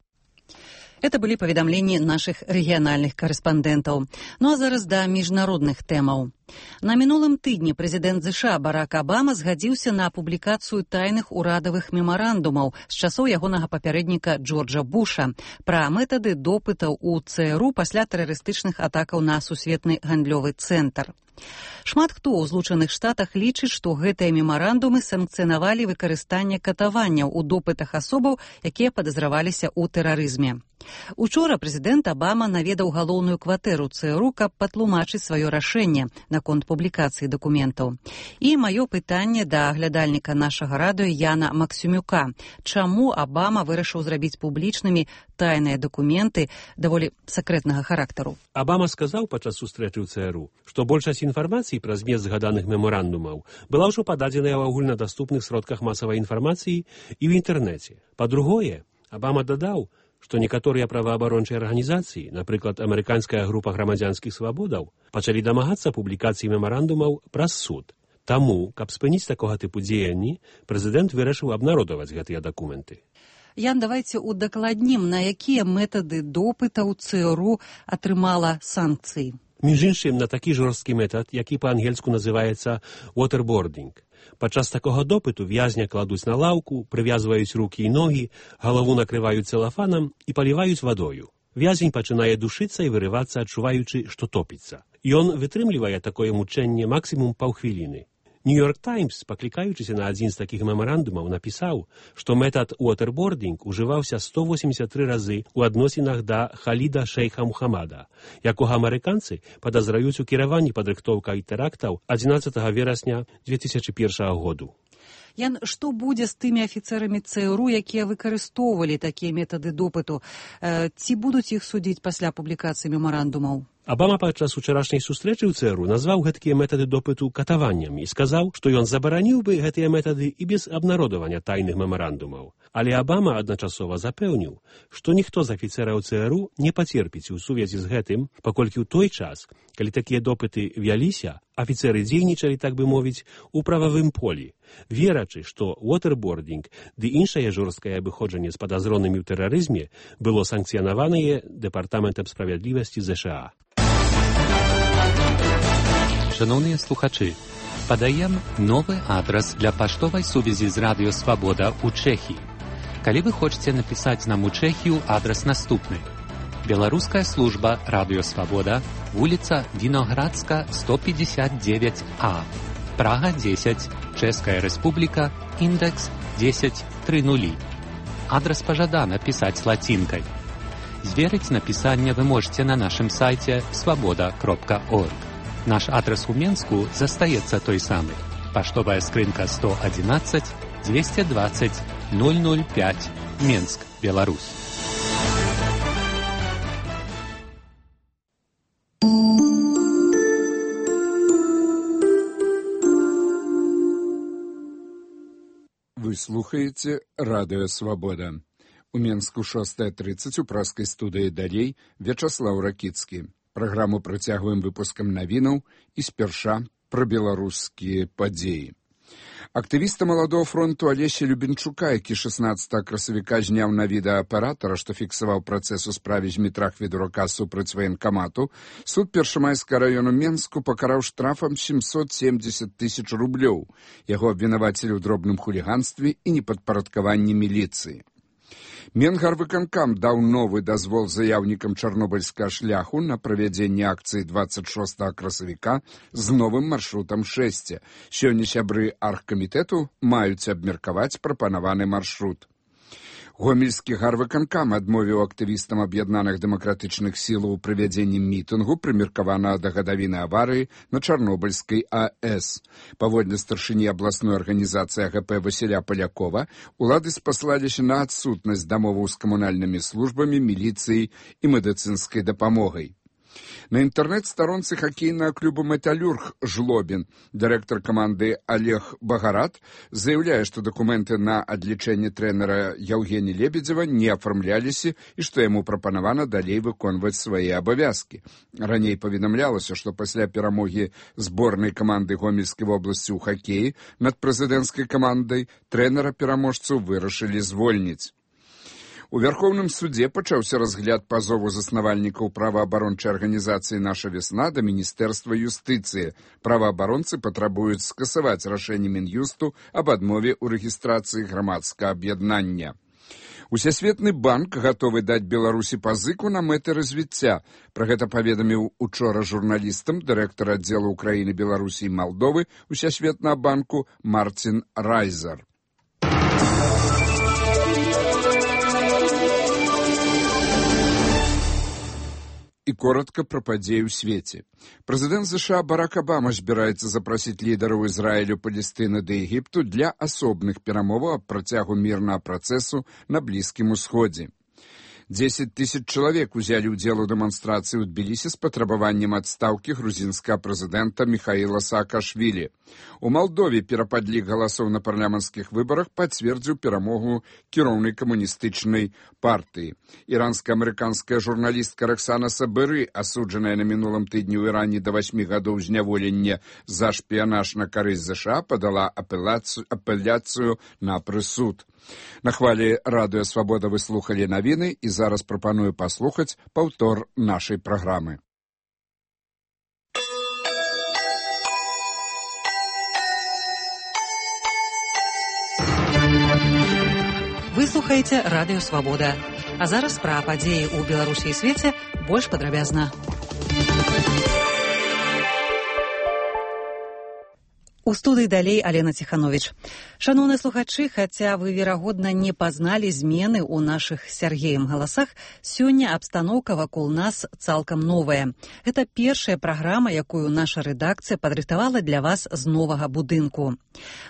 Это были паведамленні наших рэгіянальных карэспандэнтаў. Ну а зараз да міжнародных тэмаў. На мінулым тыдні прэзідэнт ЗША Барак Абама згадзіўся на публікацыю тайных урадавых мемарандумаў з часоў ягонага папярэдніка Джорджа Буша пра метады допытаў у ЦРУ пасля тэрарыстычных атакаў на сусветны гандлёвы цэнтр. Шмат хто ў Злучаных Штатах лічыць, што гэтыя мемарандумы санкцыянавалі выкарыстанне катаванняў у допытах асобаў, якія падазраваліся ў тэрарызме. Учора прэзідэнт Абама наведаў галоўную кватэру ЦРУ, каб патлумачыць сваё рашэнне наконт публікацыі дакументаў. І маё пытанне да глядальніка нашага радыё Яна Максюмюка. Чаму Абама вырашыў зрабіць публічнымі тайныя дакументы даволі сакрэтнага характару? Абама сказаў падчас сустрэчы ў ЦРУ, што большасць інфармацыі пра змест згаданых мемарандумаў была ўжо пададзеная ў агульнадаступных сродках масавай інфармацыі і ў інтэрнэце. Па-другое, Абама дадаў, што некаторыя праваабарончыя арганізацыі, напрыклад, амерыканская група грамадзянскіх свабодаў, пачалі дамагацца публікацыі мемарандумаў праз суд. Таму, каб спыніць такога тыпу дзеянні, прэзідэнт вырашыў абнародаваць гэтыя дакументы. Ян, давайце удакладнім, на якія метады допытаў ЦРУ атрымала санкцыі. Між іншым, на такі жорсткі метад, які па-ангельску называецца waterboarding. Падчас такога допыту в'язня кладуць на лаўку, прывязваюць рукі і ногі, галаву накрываюць целафанам і паліваюць вадою. В'язень пачынае душыцца і вырывацца, адчуваючы, што топіцца. Ён вытрымлівае такое мучэнне максімум паўхвіліны. Нью-Йорк Таймс, паклікаючыся на адзін з такіх мемарандумаў, напісаў, што метад waterboarding ужываўся 183 разы ў адносінах да Халіда шейха Мухаммада, якога амерыканцы падазраюць у кіраванні падрыхтоўкай тэрактаў 11 верасня 2001 году. Ян, што будзе з тымі афіцэрамі ЦРУ, якія выкарыстоўвалі такія метады допыту? Ці будуць іх судзіць пасля публікацыі мемарандумаў? Абама падчас учарашняй сустрэчы ў ЦРУ назваў гэткія метады допыту катаваннямі і сказаў, што ён забараніў бы гэтыя метады і без абнародавання тайных мемарандумаў. Але Абама адначасова запэўніў, што ніхто з афіцэраў ЦРУ не пацерпіць у сувязі з гэтым, паколькі ў той час, калі такія допыты вяліся, афіцэры дзейнічалі, так бы мовіць, у прававым полі, верачы, што waterboarding ды іншае жорсткае абыходжанне з падазронымі ў тэрарызме было санкцыянаванае Дэпартаментам справядлівасці ЗША. Шановныя слухачы, падаем новы адрас для паштовай сувязі з Радыё Свабода ў Чэхіі. Калі вы хочаце напісаць нам у Чэхію, адрас наступны. Беларуская служба «Радыё Свабода», вуліца Віноградска, 159А, Прага 10, Чэшская Рэспубліка, індэкс 1030. Адрас пажадана пісаць лацінкай. Зверыць напісанне вы можете на нашым сайце свабода.орг. Наш адрас у Менску застаецца той самы. Паштовая скрынка 111 220 005, Менск, Беларусь. Вы слухаеце радыё «Свабода». У Менску 6:30 у праскай студыі «Далей» Вячаслаў Ракіцкі. Праграму працягваем выпускам навінаў і спярша пра беларускія падзеі. Актывіста маладого фронту Алеся Любенчука, які 16 красавіка зняў на відэааператара, што фіксаваў працэс у справе Змітра Хведурака супраць ваенкамату, суд Першамайскага раёну Менску пакараў штрафам 770 000 рублёў. Яго абвінавацілі ў дробным хуліганстве і непадпарадкаванні міліцыі. Менгарвыканкам даў новы дазвол заяўнікам чарнобыльскага шляху на правядзенне акцыі 26 красавіка з новым маршрутам 6. Сёння сябры аргкамітэту маюць абмеркаваць прапанаваны маршрут. Гомельскі гарвыканкам адмовіў актывістам аб'яднаных дэмакратычных сілаў у правядзенні мітынгу, прымеркаванага да гадавіны аварыі на Чарнобыльскай АЭС. Паводле старшыні абласной арганізацыі АГП Васіля Палякова, улады спаслаліся на адсутнасць дамоваў з камунальнымі службамі, міліцыяй і медыцынскай дапамогай. На інтэрнэт-старонцы хакейнага клуба «Металлюрг» Жлобін дырэктар каманды Олег Багарат заяўляе, што дакументы на адлічэнне трэнера Яўгені Лебедзева не афармляліся і што яму прапанавана далей выконваць свае абавязкі. Раней паведамлялася, што пасля перамогі зборнай каманды Гомельскай вобласці ў хакеі над прэзідэнцкай камандай трэнера-пераможцу вырашылі звольніць. У Вярхоўным судзе пачаўся разгляд пазову заснавальнікаў праваабарончай арганізацыі «Наша весна» да Міністэрства юстыцыі. Праваабаронцы патрабуюць скасаваць рашэнне Мін'юсту аб адмове ў рэгістрацыі грамадскага аб'яднання. Усесветны банк гатовы даць Беларусі пазыку на мэты развіцця. Пра гэта паведаміў учора журналістам дырэктар аддзела Украіны, Беларусі і Малдовы Усесветнага банку Марцін Райзер. І коротка пра падзеі ў свеце. Прэзідэнт США Барак Абама збіраецца запрасіць лідараў Ізраілю, Палестыны ды Егіпту для асобных перамоваў аб працягу мірнага працэсу на Блізкім Усходзе. 10 000 чалавек узялі ўдзел у дэманстрацыі ў Тбілісі з патрабаваннем адстаўкі грузінскага прэзідэнта Міхаіла Саакашвілі. У Малдове перападлік галасоў на парламенцкіх выбарах пацвердзіў перамогу кіроўнай камуністычнай партыі. Іранска-амерыканская журналістка Роксана Сабыры, асуджаная на мінулым тыдні ў Іране да 8 гадоў зняволення за шпіянаж на карысць ЗША, падала апеляцыю на прысуд. На хвалі радыё «Свабода» вы слухалі навіны і зараз прапаную паслухаць паўтор нашай праграмы. Вы слухаеце радыё «Свабода». А зараз пра падзеі ў Беларусі і свеце больш падрабязна. У студыі далей Алена Ціхановіч. Шаноўныя слухачы, хаця вы, верагодна, не пазналі змены ў нашых Сяргеем галасах, сёння абстаноўка вакол нас цалкам новая. Гэта першая праграма, якую наша рэдакцыя падрыхтавала для вас з новага будынку.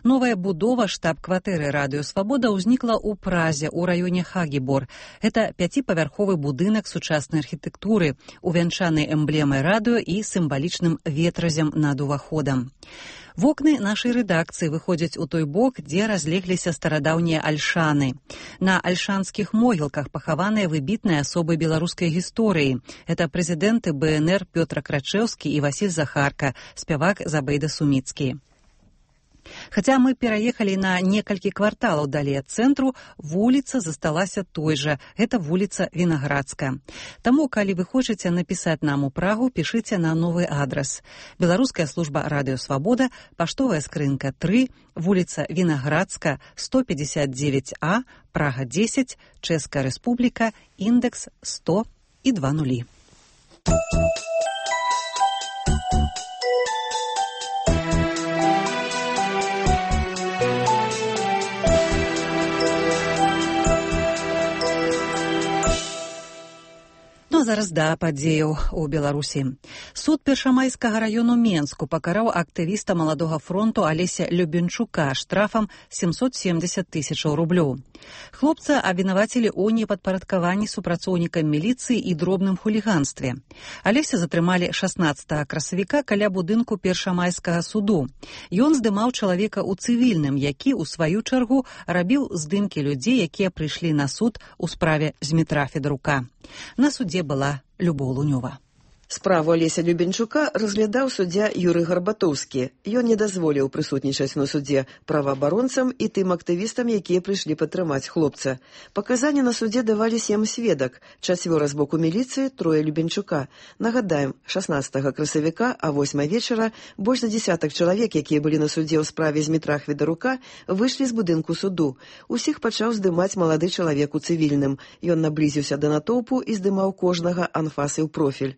Новая будова штаб-кватэры «Радыё Свабода» ўзнікла ў Празе, у раёне Хагібор. Гэта 5-павярховы будынак сучаснай архітэктуры, увянчаны эмблемай радыё і сімвалічным ветразем над уваходам. Вокны нашай рэдакцыі выходзяць у той бок, дзе разлегліся старадаўнія альшаны. На альшанскіх могілках пахаваныя выбітныя асобы беларускай гісторыі. Это прэзідэнты БНР Пётр Крачэўскі і Васіль Захарка, спявак Забейда Суміцкі. Хаця мы пераехалі на некалькі кварталаў далей ад цэнтру, вуліца засталася той жа. Гэта вуліца Вінаградская. Таму, калі вы хочаце напісаць нам у Прагу, пішыце на новы адрас. Беларуская служба Радыё Свабода, паштовая скрынка 3, вуліца Вінаградская, 159А, Прага 10, Чэшская Рэспубліка, індекс 100 і 20. Зараз да падзеяў у Беларусі. Суд Першамайскага раёну Менску пакараў актывіста Маладога фронту Алеся Любенчука штрафам 770 000 рублёў. Хлопца абвінавацілі ў непадпарадкаванні супрацоўнікам міліцыі і дробным хуліганстве. Алеся затрымалі 16 красавіка каля будынку Першамайскага суду. Ён здымаў чалавека ў цывільным, які, у сваю чаргу, рабіў здымкі людзей, якія прыйшлі на суд у справе Змітра Федарука. На судзе была Любоў Лунёва. Справу Алеся Любенчука разглядаў суддзя Юрый Гарбатоўскі. Ён не дазволіў прысутнічаць на судзе праваабаронцам і тым актывістам, якія прыйшлі падтрымаць хлопца. Паказанні на судзе давалі 7 сведак, 4 з боку міліцыі, 3 Любенчука. Нагадаем, 16 красавіка, а 8 вечара больш за десятак чалавек, якія былі на судзе ў справе Змітра Федарука, выйшлі з будынку суду. Усіх пачаў здымаць малады чалавек у цывільным. Ён наблізіўся да натоўпу і здымаў кожнага анфасы ў профіль.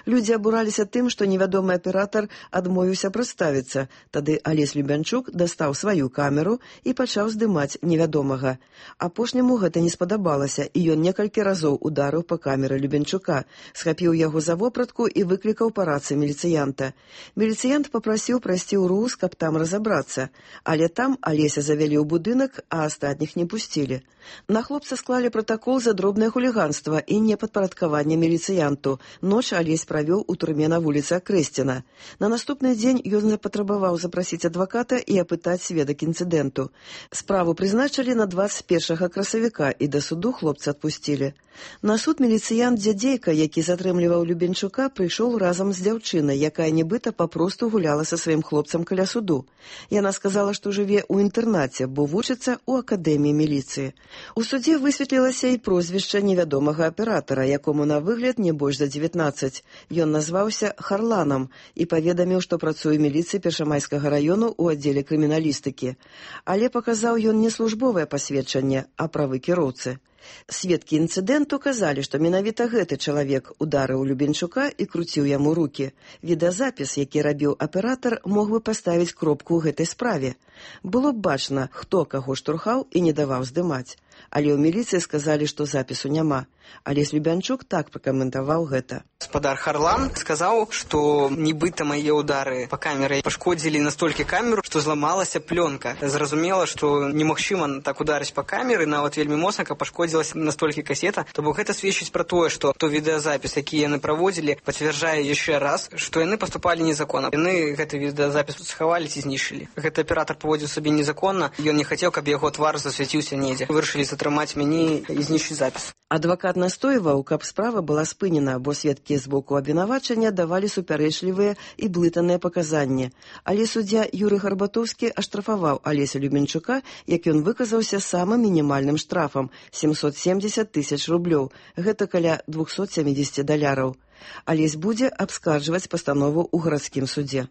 Людзі абураліся тым, што невядомы аператар адмовіўся прадставіцца. Тады Алесь Любянчук дастаў сваю камеру і пачаў здымаць невядомага. Апошняму гэта не спадабалася, і ён некалькі разоў ударыў па камеры Любянчука, схапіў яго за вопратку і выклікаў па рацыі міліцыянта. Міліцыянт папрасіў прайсці ў РУС, каб там разабрацца. Але там Алеся завялі ў будынак, а астатніх не пусцілі. На хлопца склалі пратакол за дробнае хуліганства і непадпарадкаванне міліцыянту. Ноч Алесь правёў у турме на вуліцы Акрэсціна. На наступны дзень ён патрабаваў запрасіць адваката і апытаць сведак інцыдэнту. Справу прызначылі на 21 красавіка і да суду хлопца адпусцілі. На суд міліцыянт Дзядзейка, які затрымліваў Любенчука, прыйшоў разам з дзяўчынай, якая нібыта папросту гуляла са сваім хлопцам каля суду. Яна сказала, што жыве ў інтэрнаце, бо вучыцца ў акадэміі міліцыі. У судзе высветлілася і прозвішча невядомага аператара, якому на выгляд не больш за 19. Ён назваўся Харланам і паведаміў, што працуе ў міліцыі Першамайскага раёну ў аддзеле крыміналістыкі. Але паказаў ён не службовае пасведчанне, а правы кіроўцы. Сведкі інцыдэнту казалі, што менавіта гэты чалавек ударыў Любенчука і круціў яму рукі. Відэазапіс, які рабіў аператар, мог бы паставіць кропку ў гэтай справе. Было б бачна, хто каго штурхаў і не даваў здымаць. Але ў міліцыі сказалі, што запісу няма. Алесь Любянчук так пракаментаваў гэта. Гаспадар Харлан сказаў, што нібыта мае ўдары па камеры пашкодзілі настолькі камеру, што зламалася плёнка. Зразумела, што немагчыма так ударыць па камеры, нават вельмі моцна, каб пашкодзілася настолькі касета. То бок гэта сведчыць пра тое, што то відэазапіс, які яны праводзілі, пацвярджае яшчэ раз, што яны паступалі незаконна. Яны гэты відэазапіс схавалі ці знішчылі. Гэты аператар паводзіў сабе незаконна, ён не хацеў, каб яго твар засвяціўся недзе. Вырашылі затрымаць мяне і знішчыць запіс. Адвакат настойваў, каб справа была спынена, бо сведкі з боку абвінавачання давалі супярэчлівыя і блытаныя паказанні. Але суддзя Юрый Гарбатоўскі аштрафаваў Алеся Любенчука, як ён выказаўся самым мінімальным штрафам – 770 000 рублёў. Гэта каля $270. Алесь будзе абскарджваць пастанову ў гарадскім судзе.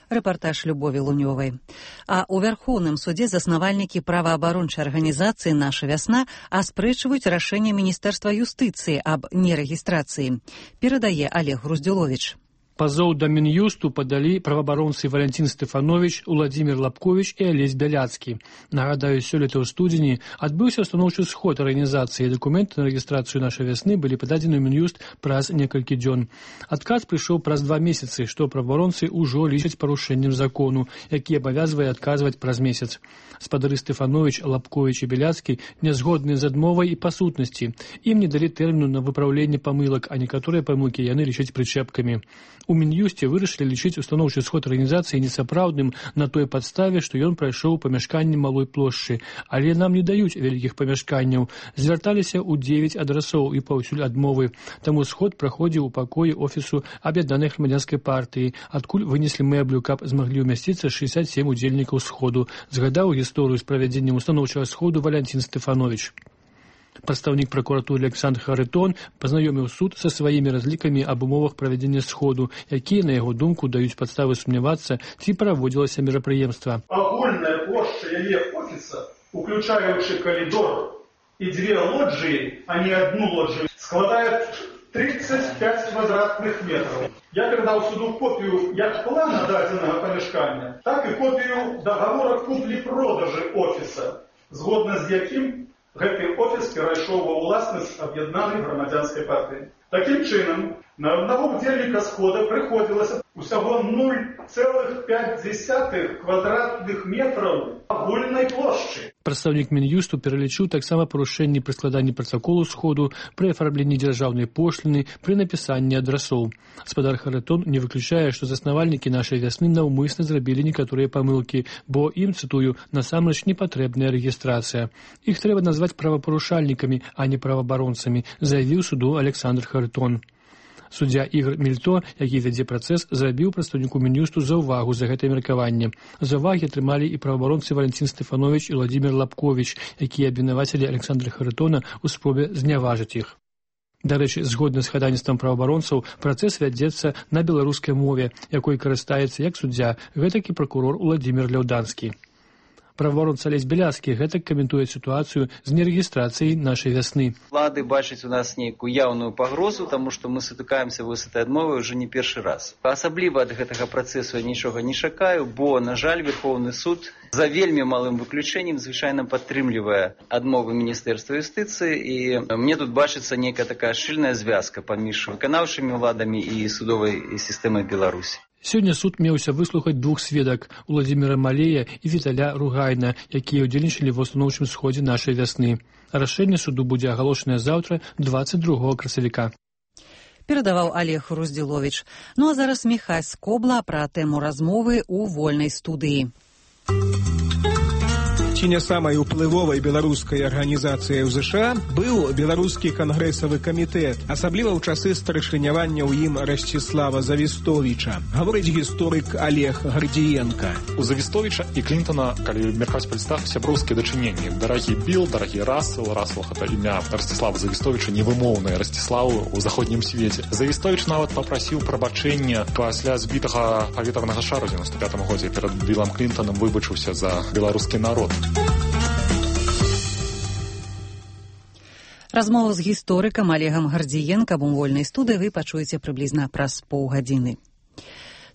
Рэпартаж Любові Лунёвай. А ў Вярхоўным судзе заснавальнікі праваабарончай арганізацыі «Наша вясна» аспрэчваюць рашэнне Міністэрства юстыцыі аб нерэгістрацыі. Перадае Олег Груздзюловіч. Пазоў да Мін'юсту падалі праваабаронцы Валянцін Стэфановіч, Уладзімір Лапковіч і Алесь Бяляцкі. Нагадаю, сёлета ў студзені адбыўся устаноўчы сход арганізацыі. Дакументы на рэгістрацыю «Нашай вясны» былі пададзены ў Мін'юст праз некалькі дзён. Адказ прыйшоў праз 2 месяцы, што праваабаронцы ўжо лічаць парушэннем закону, які абавязвае адказваць праз месяц. Спадары Стэфановіч, Лапковіч і Бяляцкі нязгодныя з адмовай і па сутнасці. Ім не далі тэрміну на выпраўленне памылак, а некаторыя памылкі яны лічаць прычэпкамі. У Мін'юсце вырашылі лічыць устаноўчы сход арганізацыі несапраўдным на той падставе, што ён прайшоў памяшканні малой плошчы. Але нам не даюць вялікіх памяшканняў. Звярталіся ў 9 адрасоў і паўсюль адмовы. Таму сход праходзіў у пакоі офісу Аб'яднанай грамадзянскай партыі, адкуль вынеслі мэблю, каб змаглі ўмясціцца 67 удзельнікаў сходу. Згадаў гісторыю з правядзеннем устаноўчага сходу Валянцін Стэфановіч. Прадстаўнік пракуратуры Александр Харитон пазнаёміў суд са сваімі разлікамі аб умовах правядзення сходу, якія, на яго думку, даюць падставы сумнявацца, ці праводзілася мерапрыемства. Агульная плошча яе офіса, уключаючы калідор і 2 лоджыі, а не 1 лоджыю, складае 35 квадратных метров. Я передал суду копию як плана дадзенага памяшкання, так і копію договора куплі-продажы офіса, згодна з якім гэты офіс перайшоў ва ўласнасць Аб'яднанай грамадзянскай партыі. Такім чынам, на аднаго удзельніка схода прыходзілася усяго 0,5 квадратных метраў агульнай плошчы. Прадстаўнік Мін'юсту пералічыў таксама парушэнні пры складанні пратаколу сходу, пры афармленні дзяржаўнай пошліны, пры напісанні адрасоў. Спадар Харитон не выключае, што заснавальнікі нашай вясны наўмысна зрабілі некаторыя памылкі, бо ім, цытую, насамрэч непатрэбная рэгістрацыя. Іх трэба назваць правапарушальнікамі, а не праваабаронцамі, заявіў суду Александр Харитон. Суддзя Ігор Мільто, які вядзе працэс, зрабіў прадстаўніку Мін'юсту заўвагу за гэтае меркаванне. Заўвагі атрымалі і праваабаронцы Валянцін Стэфановіч і Владзімір Лапковіч, якія абвінавацілі Александра Харитона ў спробе зняважыць іх. Дарэчы, згодна з хадайніцтвам праваабаронцаў, працэс вядзецца на беларускай мове, якой карыстаецца як суддзя, гэтак і пракурор Уладзімір Ляўданскі. Праваабаронца Алесь Бяляцкі гэтак каментуе сітуацыю з нерэгістрацыяй нашай вясны. Улады бачаць у нас нейкую яўную пагрозу, таму што мы сутыкаемся з этой адмовай ўжо не першы раз. Асабліва ад гэтага працэсу я нічога не чакаю, бо, на жаль, Верховны суд за вельмі малым выключэннем звычайна падтрымлівае адмовы Міністэрства юстыцыі, і мне тут бачыцца нейкая такая шчыльная звязка паміж выканаўчымі ўладамі і судовай сістэмай Беларусі. Сёння суд меўся выслухаць 2 сведак – Уладзіміра Малея і Віталя Ругайна, якія ўдзельнічалі ва ўстаноўчым сходзе нашай вясны. Рашэнне суду будзе агалошанае заўтра, 22 красавіка. Перадаваў Олег Руздзіловіч. Ну а зараз Міхай Скобла пра тэму размовы ў вольнай студыі. Ці не самай уплывовай беларускай арганізацыяй у ЗША быў беларускі кангрэсавы камітэт, асабліва ў часы старшынявання ў ім Расціслава Завістовіча, гаворыць гісторык Олег Гардзіенка. У Завістовіча і Клінтона, калі меркаваць па лістах, сяброўскія дачыненні. Дарагі Білл, дарагі Рассел гэта імя Расціслава Завістовіча, невымоўнае Расціславу ў заходнім свеце. Завістовіч нават папрасіў прабачэння пасля збітага паветранага шару ў 95 годзе перад Биллам Клінтонам, выбачыўся за беларускі народ. Размову з гісторыкам Олегам Гардзіенкам у вольнай студыі вы пачуеце прыблізна праз паўгадзіны.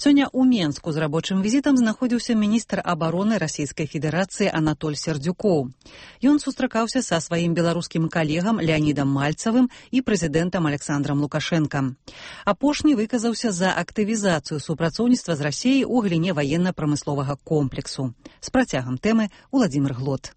Сёння ў Менску з рабочым візітам знаходзіўся міністр абароны Расійскай Федэрацыі Анатоль Сердюкоў. Ён сустракаўся са сваім беларускім калегам Леанідам Мальцавым і прэзідэнтам Александрам Лукашэнкам. Апошні выказаўся за актывізацыю супрацоўніцтва з Расіяй у галіне ваенна-прамысловага комплексу. З працягам тэмы Уладзімір Глот.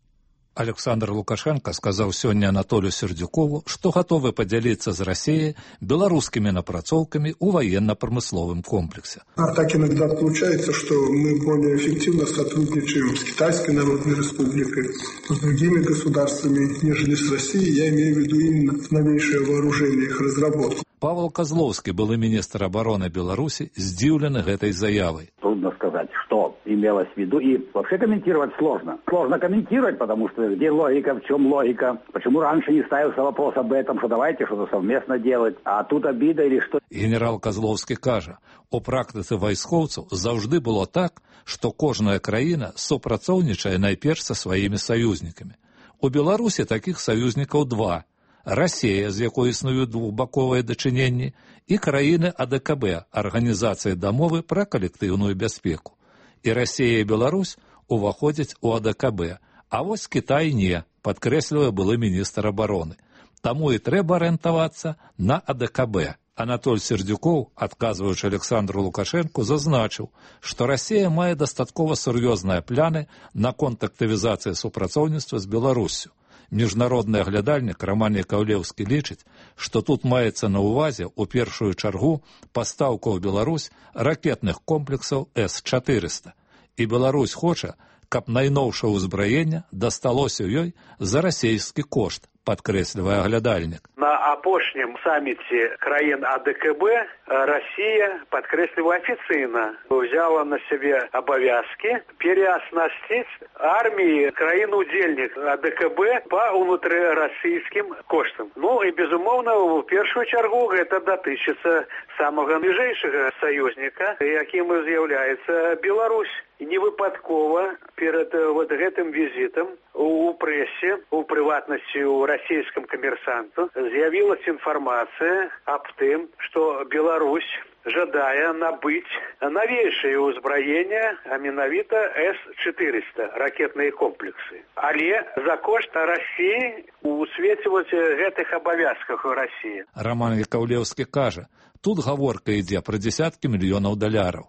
Александр Лукашенко сказаў сёння Анатолю Сердюкову, што гатовы падзяліцца з Расіяй беларускімі напрацоўкамі ў военно-промысловом комплексе. А так иногда получается, что мы более эффективно сотрудничаем с Китайской Народной Республикой, с другими государствами, нежели с Россией. Я имею в виду именно новейшее вооружение, их разработку. Павел Козловский, былы министр обороны Беларуси, здивлен этой заявой. Трудно сказать, что имелось в виду. И вообще комментировать сложно. Сложно комментировать, потому что где логика, в чем логика? Почему раньше не ставился вопрос об этом, что давайте что-то совместно делать, а тут обида или что? Генерал Козловский кажа, у практыцы вайскоўцаў заўжды было так, што кожная краіна супрацоўнічае найперш са сваімі саюзнікамі. У Беларусі такіх саюзнікаў 2. Расія, з якой існуюць двухбаковыя дачыненні, і краіны АДКБ, Арганізацыі дамовы пра калектыўную бяспеку. І Расія і Беларусь уваходзяць у АДКБ, а вось Кітай не, падкрэслівае былы міністр абароны. Таму і трэба арыентавацца на АДКБ. Анатоль Сердюкоў, адказваючы Александру Лукашэнку, зазначыў, што Расія мае дастаткова сур'ёзныя пляны наконт актывізацыі супрацоўніцтва з Беларуссю. Міжнародны аглядальнік Роман Якаўлеўскі лічыць, што тут маецца на ўвазе ў першую чаргу пастаўку ў Беларусь ракетных комплексаў С-400. І Беларусь хоча, каб найноўшае ўзбраенне дасталося ёй за расійскі кошт, падкрэслівае аглядальнік. На апошнім саміце краін АДКБ Россия, падкрэсліваю афіцыйна, взяла на себе обовязки переоснастить армии краін-удзельник АДКБ по внутрирассийским коштам. Ну и, безумовно, в первую чергу это датычыцца самого ближайшего союзника, яким з'яўляецца Беларусь. Не выпадкова перед вот гэтым визитом у прессе, у прыватнасці у российском коммерсанту з'явилась информация об тым, что Беларусь жадае набыць новейшее ўзбраенне, а менавіта С-400 ракетные комплексы. Але за кошт России у свеце вот гэтых абавязках у России. Роман Якаўлеўскі кажа, тут гаворка ідзе пра дзесяткі мільёнаў даляраў.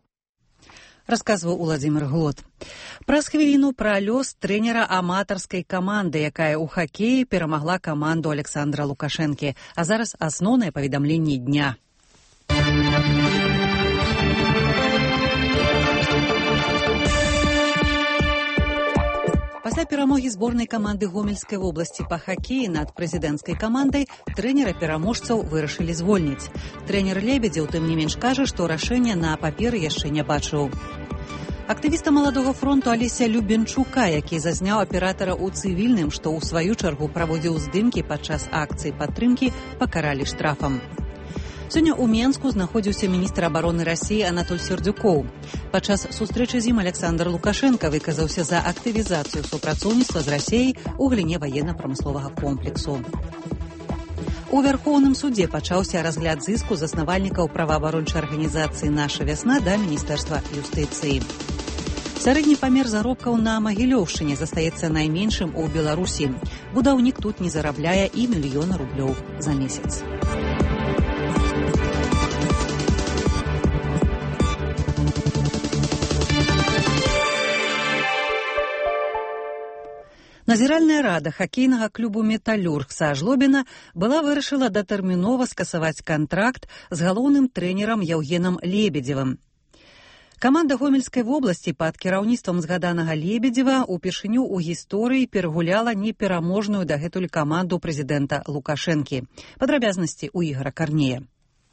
Расказваў Уладзімір Глот. Праз хвіліну пра лёс трэнера аматарскай каманды, якая ў хакеі перамагла каманду Александра Лукашэнкі. А зараз асноўнае паведамленне дня. Пасля перамогі зборнай каманды Гомельскай вобласці па хакеі над прэзідэнцкай камандай трэнера-пераможцаў вырашылі звольніць. Трэнер Лебедзеў, тым не менш, кажа, што рашэння на паперы яшчэ не бачыў. Актывіста Маладога фронту Алеся Любенчука, які зазняў аператара ў цывільным, што ў сваю чаргу праводзіў здымкі падчас акцыі падтрымкі, пакаралі штрафам. Сёння ў Менску знаходзіўся міністр абароны Расіі Анатоль Сердюкоў. Падчас сустрэчы з ім Александр Лукашенко выказаўся за актывізацыю супрацоўніцтва з Расіяй у галіне ваенна-прамысловага комплексу. У Вярхоўным судзе пачаўся разгляд зыску заснавальнікаў праваабарончай арганізацыі «Наша вясна» да Міністэрства юстыцыі. Сярэдні памер заробкаў на Магілёўшчыне застаецца найменшым у Беларусі. Будаўнік тут не зарабляе і 1 000 000 рублёў за месяц. Назіральная рада хакейнага клубу «Металлюрг» са Жлобіна была вырашыла датэрмінова скасаваць кантракт з галоўным трэнерам Яўгенам Лебедзевым. Каманда Гомельскай вобласці пад кіраўніцтвам згаданага Лебедзева упершыню ў гісторыі перагуляла непераможную дагэтуль каманду прэзідэнта Лукашэнкі. Падрабязнасці ў Ігора Карнея.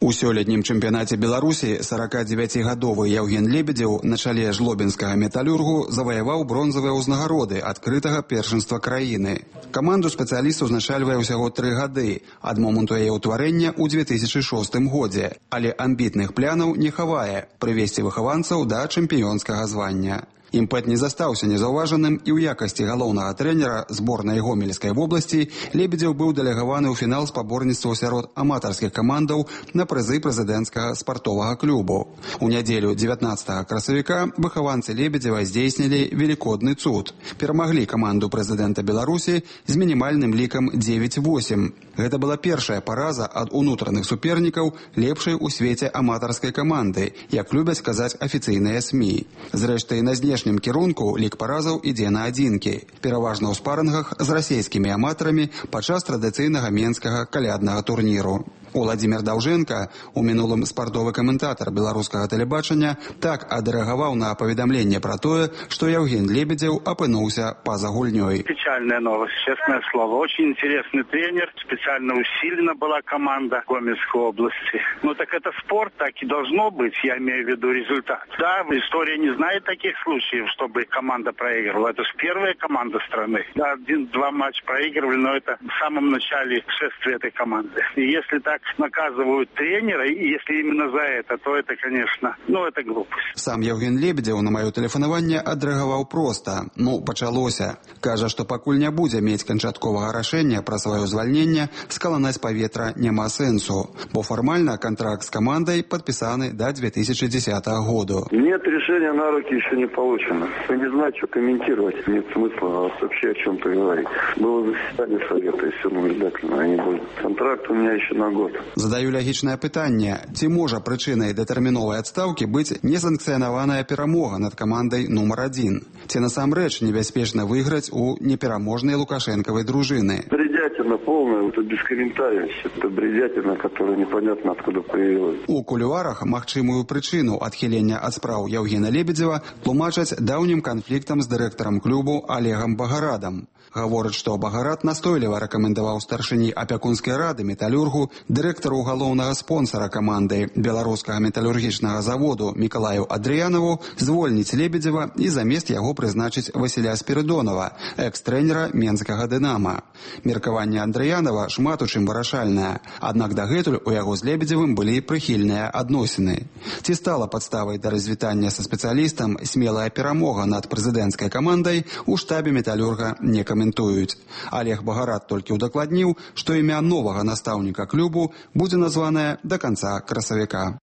У сёлетнім чэмпіянаце Беларусі 49-гадовы Яўген Лебедзеў на чале жлобінскага металлюргу заваяваў бронзавыя ўзнагароды адкрытага першынства краіны. Каманду спецыяліст узначальвае ўсяго 3 гады ад моманту яе ўтварэння ў 2006 годзе, але амбітных планаў не хавае прывесці выхаванцаў да чэмпіёнскага звання. Імпэт не застаўся незаўважаным і ў якасці галоўнага трэнера зборнай Гомельскай вобласці Лебедзеў быў дэлегаваны ў фінал спаборніцтваў сярод аматарскіх камандаў на прызы прэзідэнцкага спартовага клубу. У нядзелю 19 красавіка выхаванцы Лебедзева здзейснілі велікодны цуд. Перамаглі каманду прэзідэнта Беларусі з мінімальным лікам 9-8. Гэта была першая параза ад унутраных супернікаў лепшай у свеце аматарскай каманды, як любяць казаць афіцыйныя СМІ. Зрэшты, на знешнім кірунку лік паразаў ідзе на адзінкі, пераважна ў спарынгах з расійскімі аматарамі падчас традыцыйнага менскага каляднага турніру. Уладзімір Даўжэнка, у мінулым спартовы каментатар беларускага тэлебачання, так адрэагаваў на паведамленне пра тое, што Яўген Лебедзеў апынуўся па-за гульнёй. Печальная новость, честное слово. Очень интересный тренер, специально усилена была команда Гомельской области. Ну так это спорт, так и должно быть, я имею в виду результат. Да, история не знает таких случаев, чтобы команда проигрывала. Это же первая команда страны. Да, 1-2 матча проигрывали, но это в самом начале шествия этой команды. И если так наказывают тренера, и если именно за это, то это, конечно, это глупость. Сам Яўген Лебедзеў на маё тэлефанаванне адрэагаваў проста. Пачалося. Кажа, што пакуль не будзе мець канчатковага рашэння пра сваё звальненне, скаланаць паветра няма сэнсу, бо фармальна контракт с командой подписаны до 2010 года. Нет, решения на руки еще не получено. Я не знаю, что комментировать. Нет смысла вообще о чем-то говорить. Было заседание совета, и все наблюдательно. Они будут. Контракт у меня еще на год. год. Задаю лягічнае пытанне, ці можа прычынай датэрміновай адстаўкі быць несанкцыянаваная перамога над камандай нумар 1? Ці насамрэч небяспечна выйграць у непераможнай лукашэнкавай дружыны? Бредятина полная, это без комментариев. Это бредятина, которая непонятно откуда появилась. У кулуарах магчымую прычыну адхілення ад спраў Яўгена Лебедзева тлумачаць даўнім канфліктам з дырэктарам клубу Олегам Багарадам. Гаворыць, што Багарад настойліва рэкамендаваў старшыні апякунскай рады металюргу, дырэктару галоўнага спонсара каманды беларускага металургічнага заводу Мікалаю Адрыянаву звольніць Лебедзева і замест яго прызначыць Васіля Спірыдонова, экс-трэнера менскага «Дынама». Меркаванне Адрыянава шмат у чым вырашальнае, аднак дагэтуль у яго з Лебедзевым былі прыхільныя адносіны. Ці стала падставай да развітання са спецыялістам смелая перамога над прэзідэнцкай камандай, у штабе металюрга не каментуюць. Олег Багарад толькі ўдакладніў, што імя новага настаўніка клубу будзе названае да канца красавіка.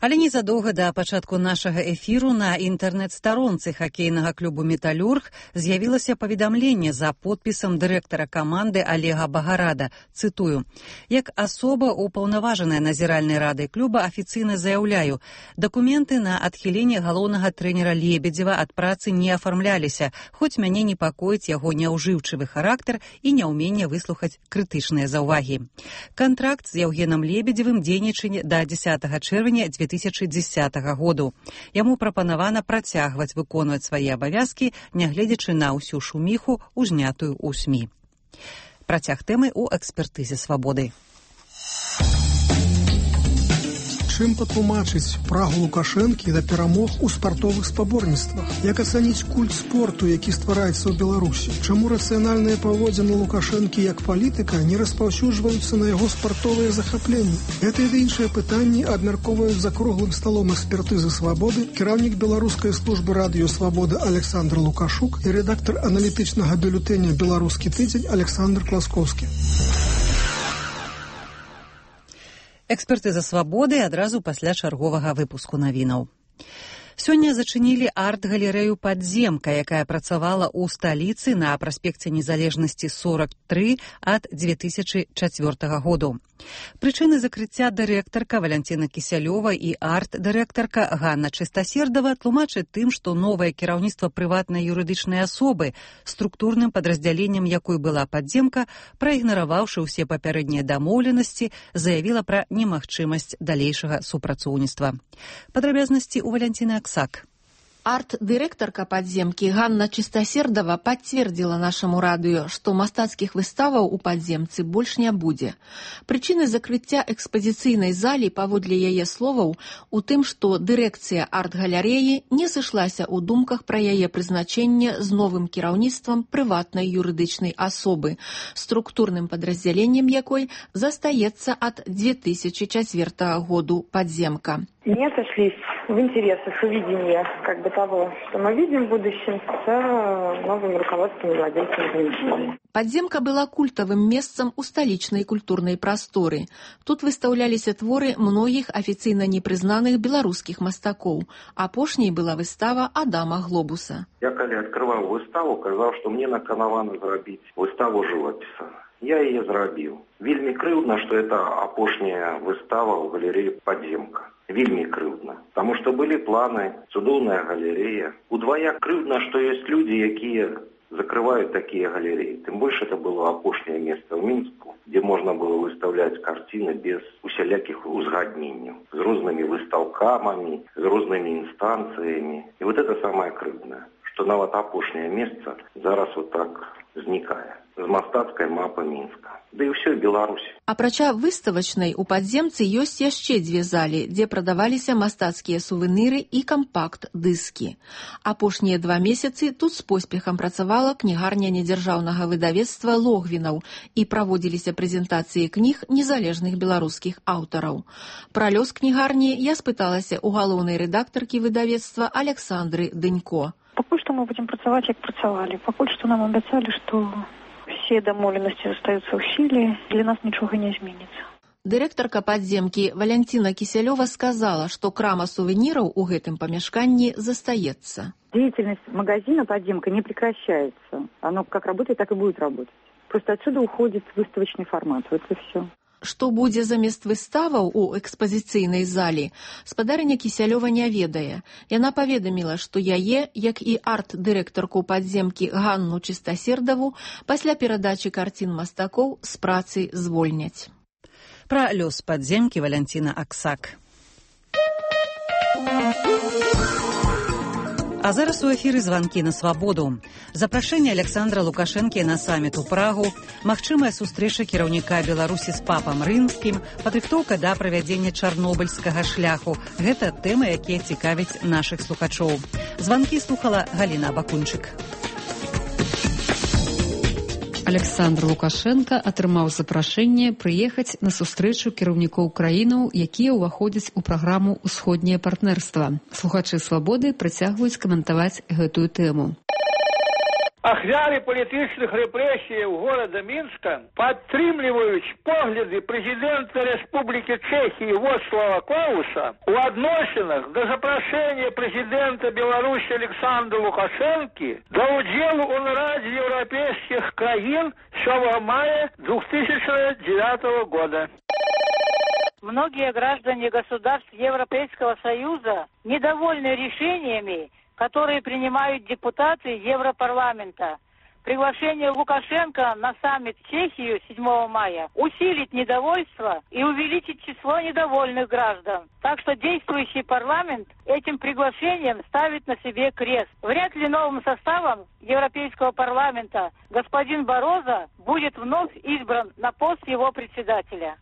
Але незадоўга да пачатку нашага эфіру на інтэрнэт-старонцы хакейнага клубу «Металюрг» з'явілася паведамленне за подпісам дырэктара каманды Олега Багарада. Цытую. «Як асоба упаўнаважаная назіральнай радай клуба афіцыйна заяўляю, дакументы на адхіленне галоўнага трэнера Лебедзева ад працы не афармляліся, хоць мяне непакоіць яго няўжыўчывы характар і няўменне выслухаць крытычныя заўвагі. Кантракт з Яўгенам Лебедзевым дзейнічае да 10 чэрвеня 2010 году. Яму прапанавана працягваць выконваць свае абавязкі, нягледзячы на ўсю шуміху, узнятую ў СМІ. Працяг тэмы ў экспертызе «Свабоды». Чым патлумачыць прагу Лукашэнкі да перамог у спартовых спаборніцтвах? Як ацаніць культ спорту, які ствараецца ў Беларусі? Чаму рацыянальныя паводзіны Лукашэнкі як палітыка не распаўсюджваюцца на яго спартовыя захапленні? Гэтыя і іншыя пытанні абмяркоўваюць за круглым сталом экспертызы «Свабоды» кіраўнік беларускай службы радыё «Свабода» Александр Лукашук і рэдактар аналітычнага бюлетэня «Беларускі тыдзень» Александр Класкоўскі. Экспертыза «Свабоды» адразу пасля чарговага выпуску навінаў. Сёння зачынілі арт-галерэю «Падземка», якая працавала ў сталіцы на праспекце Незалежнасці 43 ад 2004 году. Прычыны закрыцця дырэктарка Валянціна Кісялёва і арт-дырэктарка Ганна Чыстасердава тлумачаць тым, што новае кіраўніцтва прыватнай юрыдычнай асобы, структурным падраздзяленнем якой была «Падземка», праігнараваўшы ўсе папярэднія дамоўленасці, заявіла пра немагчымасць далейшага супрацоўніцтва. Падрабязнасці ў Валянціны Аксак. Арт-дырэктарка «Падземкі» Ганна Чыстасердава пацвердзіла нашаму радыё, што мастацкіх выставаў у «Падземцы» больш не будзе. Прычыны закрыцця экспазіцыйнай залі, паводле яе словаў, у тым, што дырэкцыя арт-галерэі не сышлася ў думках пра яе прызначэнне з новым кіраўніцтвам прыватнай юрыдычнай асобы, структурным падраздзяленнем якой застаецца ад 2004 году «Падземка». Не сошлись в интересах и видении того, что мы видим в будущем с новым руководством и владельцем помещения. «Падземка» была культавым месцам у сталічнай культурнай прасторы. Тут выстаўляліся творы многіх афіцыйна непрызнаных беларускіх мастакоў. Апошняй была выстава Адама Глобуса. Я, калі адкрываў выставу, казаў, што мне наканавана зрабіць выставу жывапіса. Я яе зрабіў. Вельмі крыўдна, што это апошняя выстава ў галерэі «Падземка». Вельмі крыўдна, таму што былі планы, цудоўная галерэя. Удвая крыўдна, што ёсць людзі, якія закрываюць такія галерэі. Тым больш это было апошняе месца ў Мінску, дзе можна было выставляць карціны без усялякіх узгадненняў, з рознымі выстаўкамамі, з рознымі інстанцыямі. І вот это самае крыўднае, што нават апошняе месца зараз вот так знікае з мастацкай мапы Мінска. Да і ўсё Беларусі. Апрача выставачнай, у «Падземцы» ёсць яшчэ дзве залі, дзе прадаваліся мастацкія сувеніры і кампакт-дыскі. Апошнія 2 месяцы тут з поспехам працавала кнігарня недзяржаўнага выдавецтва «Логвінаў» і праводзіліся прэзентацыі кніг незалежных беларускіх аўтараў. Пра лёс кнігарні я спыталася ў галоўнай рэдактаркі выдавецтва Александры Дынько. Пакуль што мы будзем працаваць, як працавалі. Пакуль што нам абяцалі, што все дамоўленасці застаюцца ў сіле, для нас нічога не зменіцца. Дырэктарка «Падземкі» Валянціна Кісялёва сказала, што крама сувеніраў у гэтым памяшканні застаецца. Деятельность магазина «Падземка» не прекращается. Оно как работает, так и будет работать. Просто отсюда уходит выставочный формат. Вот и все. Што будзе замест выставаў у экспазіцыйнай залі, спадарня Кісялёва не ведае. Яна паведаміла, што яе, як і арт-дырэктарку падземкі Ганну Чыстасердаву, пасля перадачы карцін мастакоў з працы звольняць. Пра лёс падземкі Валянціна Аксак. А зараз у эфіры званкі на свабоду. Запрашэнне Александра Лукашэнкі на саміт у Прагу, магчымая сустрэча кіраўніка Беларусі з папам рымскім, падрыхтоўка да правядзення чарнобыльскага шляху. Гэта тэмы, якія цікавяць нашых слухачоў. Званкі слухала Галіна Бакунчык. Александр Лукашенко атрымаў запрашэнне прыехаць на сустрэчу кіраўнікоў краінаў, якія ўваходзяць у праграму «Усходняе партнерства». Слухачы «Свабоды» працягваюць каментаваць гэтую тэму. Ахвяры палітычных рэпрэсіяў горада Мінска падтрымліваюць погляды прэзідэнта Рэспублікі Чэхіі Вацлава Клауса у адносінах да запрашэння прэзідэнта Беларусі Александра Лукашэнкі да ўдзелу ў нарадзе еўрапейскіх краін 7 мая 2009 года. Многие граждане государств Европейского Союза недовольны решениями, которые принимают депутаты Европарламента. Приглашение Лукашенко на саммит в Чехию 7 мая усилит недовольство и увеличит число недовольных граждан. Так что действующий парламент этим приглашением ставит на себе крест. Вряд ли новым составом Европейского парламента господин Барозо будет вновь избран на пост его председателя.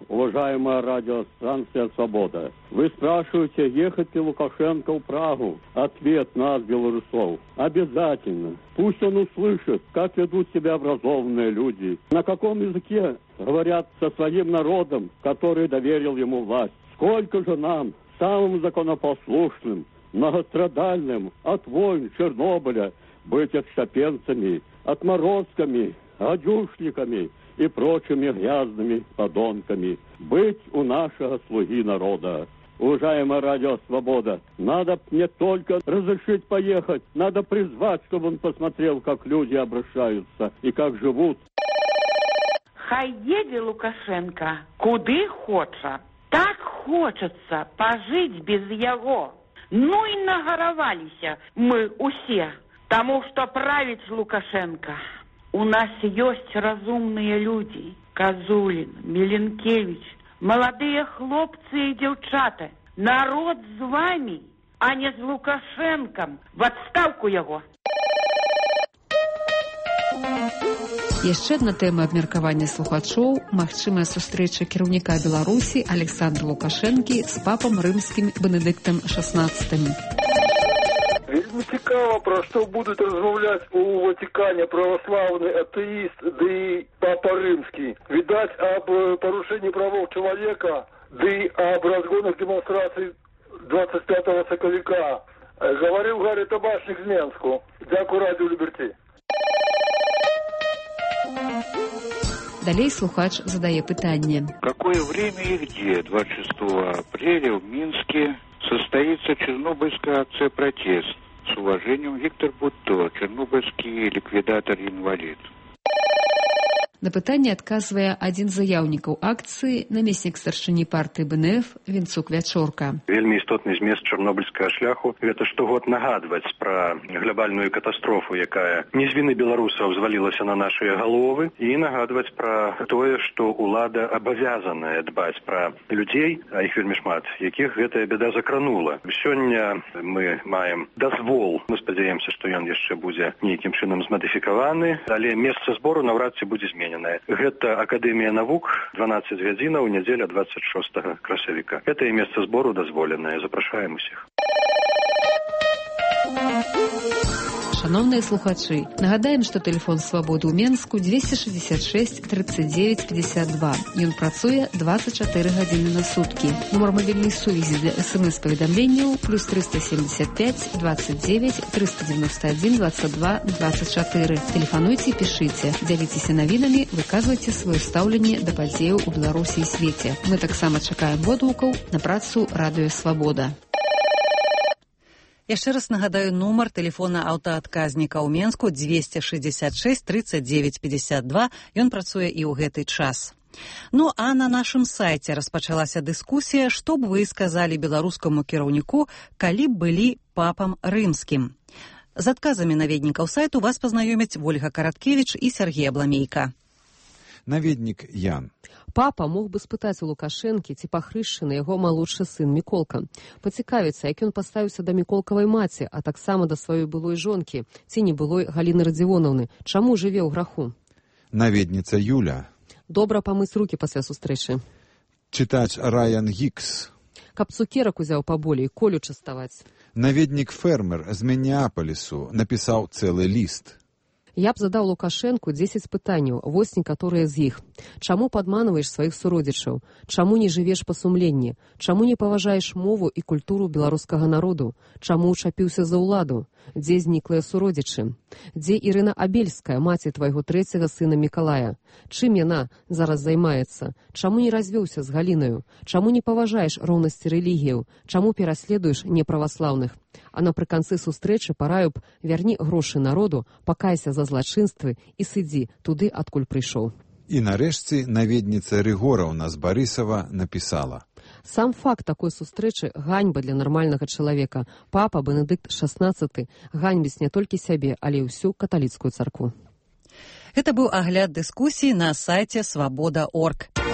Уважаемая радиостанция «Свобода», вы спрашиваете, ехать ли Лукашенко в Прагу? Ответ нас, белорусов, обязательно. Пусть он услышит, как ведут себя образованные люди, на каком языке говорят со своим народом, который доверил ему власть. Сколько же нам, самым законопослушным, многострадальным, от войн Чернобыля, быть отщепенцами, отморозками, гадюшниками и прочими грязными подонками. Быть у нашего слуги народа. Уважаемая радио «Свобода», надо не только разрешить поехать, надо призвать, чтобы он посмотрел, как люди обращаются и как живут. Хай едзе Лукашенко куды хоча. Так хочется пожить без яго. Ну и нагараваліся мы усе, тому что править Лукашенко. У нас есть разумные люди. Козулин, Миленкевич, молодые хлопцы и девчата. Народ с вами, а не с Лукашенком. В отставку его. Яшчэ адна тэма абмеркавання слухачоў – магчымая сустрэча кіраўніка Беларусі Александра Лукашэнкі з папам рымскім Бенедыктам XVI. Вельмі цікава, пра што будуць размаўляць у Ватикане православны атэіст ды папа рымскі. Відаць, аб парушэнні правоў чалавека ды аб разгонах дэманстрацый 25 сакавіка. Гаварыў Гарри Табачнік з Менску. Дзякую радыё Ліберці. Далей слухач задае пытанне. Какое время и где 26 апреля в Минске состоится Чернобыльская акция-протест? С уважением, Виктор Бутто, чернобыльский ликвидатор-инвалид. На пытанне адказвае адзін з заяўнікаў акцыі, намеснік старшыні партыі БНФ Вінцук Вячорка. Вельмі істотны змест чарнобыльскага шляху – гэта штогод нагадваць пра глобальную катастрофу, якая не з віны беларусаў звалілася на нашыя галовы, і нагадваць пра тое, што ўлада абавязаная дбаць пра людзей, а іх вельмі шмат, якіх гэтая бяда закранула. Сёння мы маем дазвол. Мы спадзяемся, што ён яшчэ будзе нейкім чынам змадыфікаваны, але месца збору наўрад ці будзе зменена. Гэта Акадэмія навук, 12 гадзінаў, нядзеля 26 красавіка. Гэтае месца збору дазволенае. Запрашаем усіх. Шановныя слухачы, нагадаем, што тэлефон «Свабоды» ў Менску 266 39 52. Ён працуе 24 гадзіны на суткі. Нумар мабільнай сувязі для СМС-паведамленняў плюс 375 29 391 22 24. Тэлефануйце і пішыце, дзяліцеся навінамі, выказвайце сваё стаўленне да падзеяў у Беларусі і свеце. Мы таксама чакаем водгукаў на працу радыё «Свабода». Яшчэ раз нагадаю нумар тэлефона аўтаадказніка ў Менску 266 39 52. Ён працуе і ў гэты час. Ну а на нашым сайце распачалася дыскусія, што б вы сказалі беларускаму кіраўніку, калі б былі папам рымскім. З адказамі наведнікаў сайту вас пазнаёмяць Вольга Караткевіч і Сергей Абламейка. Наведнік Ян. Папа мог бы спытаць у Лукашэнкі, ці пахрышчаны яго малодшы сын Міколка. Пацікавіцца, як ён паставіўся да Міколкавай маці, а таксама да сваёй былой жонкі, ці не былой Галіны Радзівонаўны. Чаму жыве ў граху? Наведніца Юля. Добра памыць рукі пасля сустрэчы. Чытач Райан Гікс. Каб цукерак узяў паболей, Колю частаваць. Наведнік фермер з Мінеапалісу напісаў цэлы ліст. Я б задаў Лукашэнку 10 пытанняў, вось некаторыя з іх. Чаму падманваеш сваіх суродзічаў? Чаму не жывеш па сумленні? Чаму не паважаеш мову і культуру беларускага народу? Чаму ўчапіўся за ўладу? Дзе зніклыя суродзічы? Дзе Ірына Абельская, маці твайго 3-го сына Мікалая? Чым яна зараз займаецца? Чаму не развёўся з Галінаю? Чаму не паважаеш роўнасці рэлігіяў? Чаму пераследуеш неправаслаўных? А напрыканцы сустрэчы параю б: вярні грошы народу, пакайся за злачынствы і сыдзі туды, адкуль прыйшоў. І нарэшце наведніца Рыгораўна з Барысава напісала: Сам факт такой сустрэчы ганьба для нармальнага чалавека. Папа Бенедыкт XVI ганьбіць не толькі сябе, але і ўсю каталіцкую царкву. Гэта быў агляд дыскусіі на сайце свабода.орг.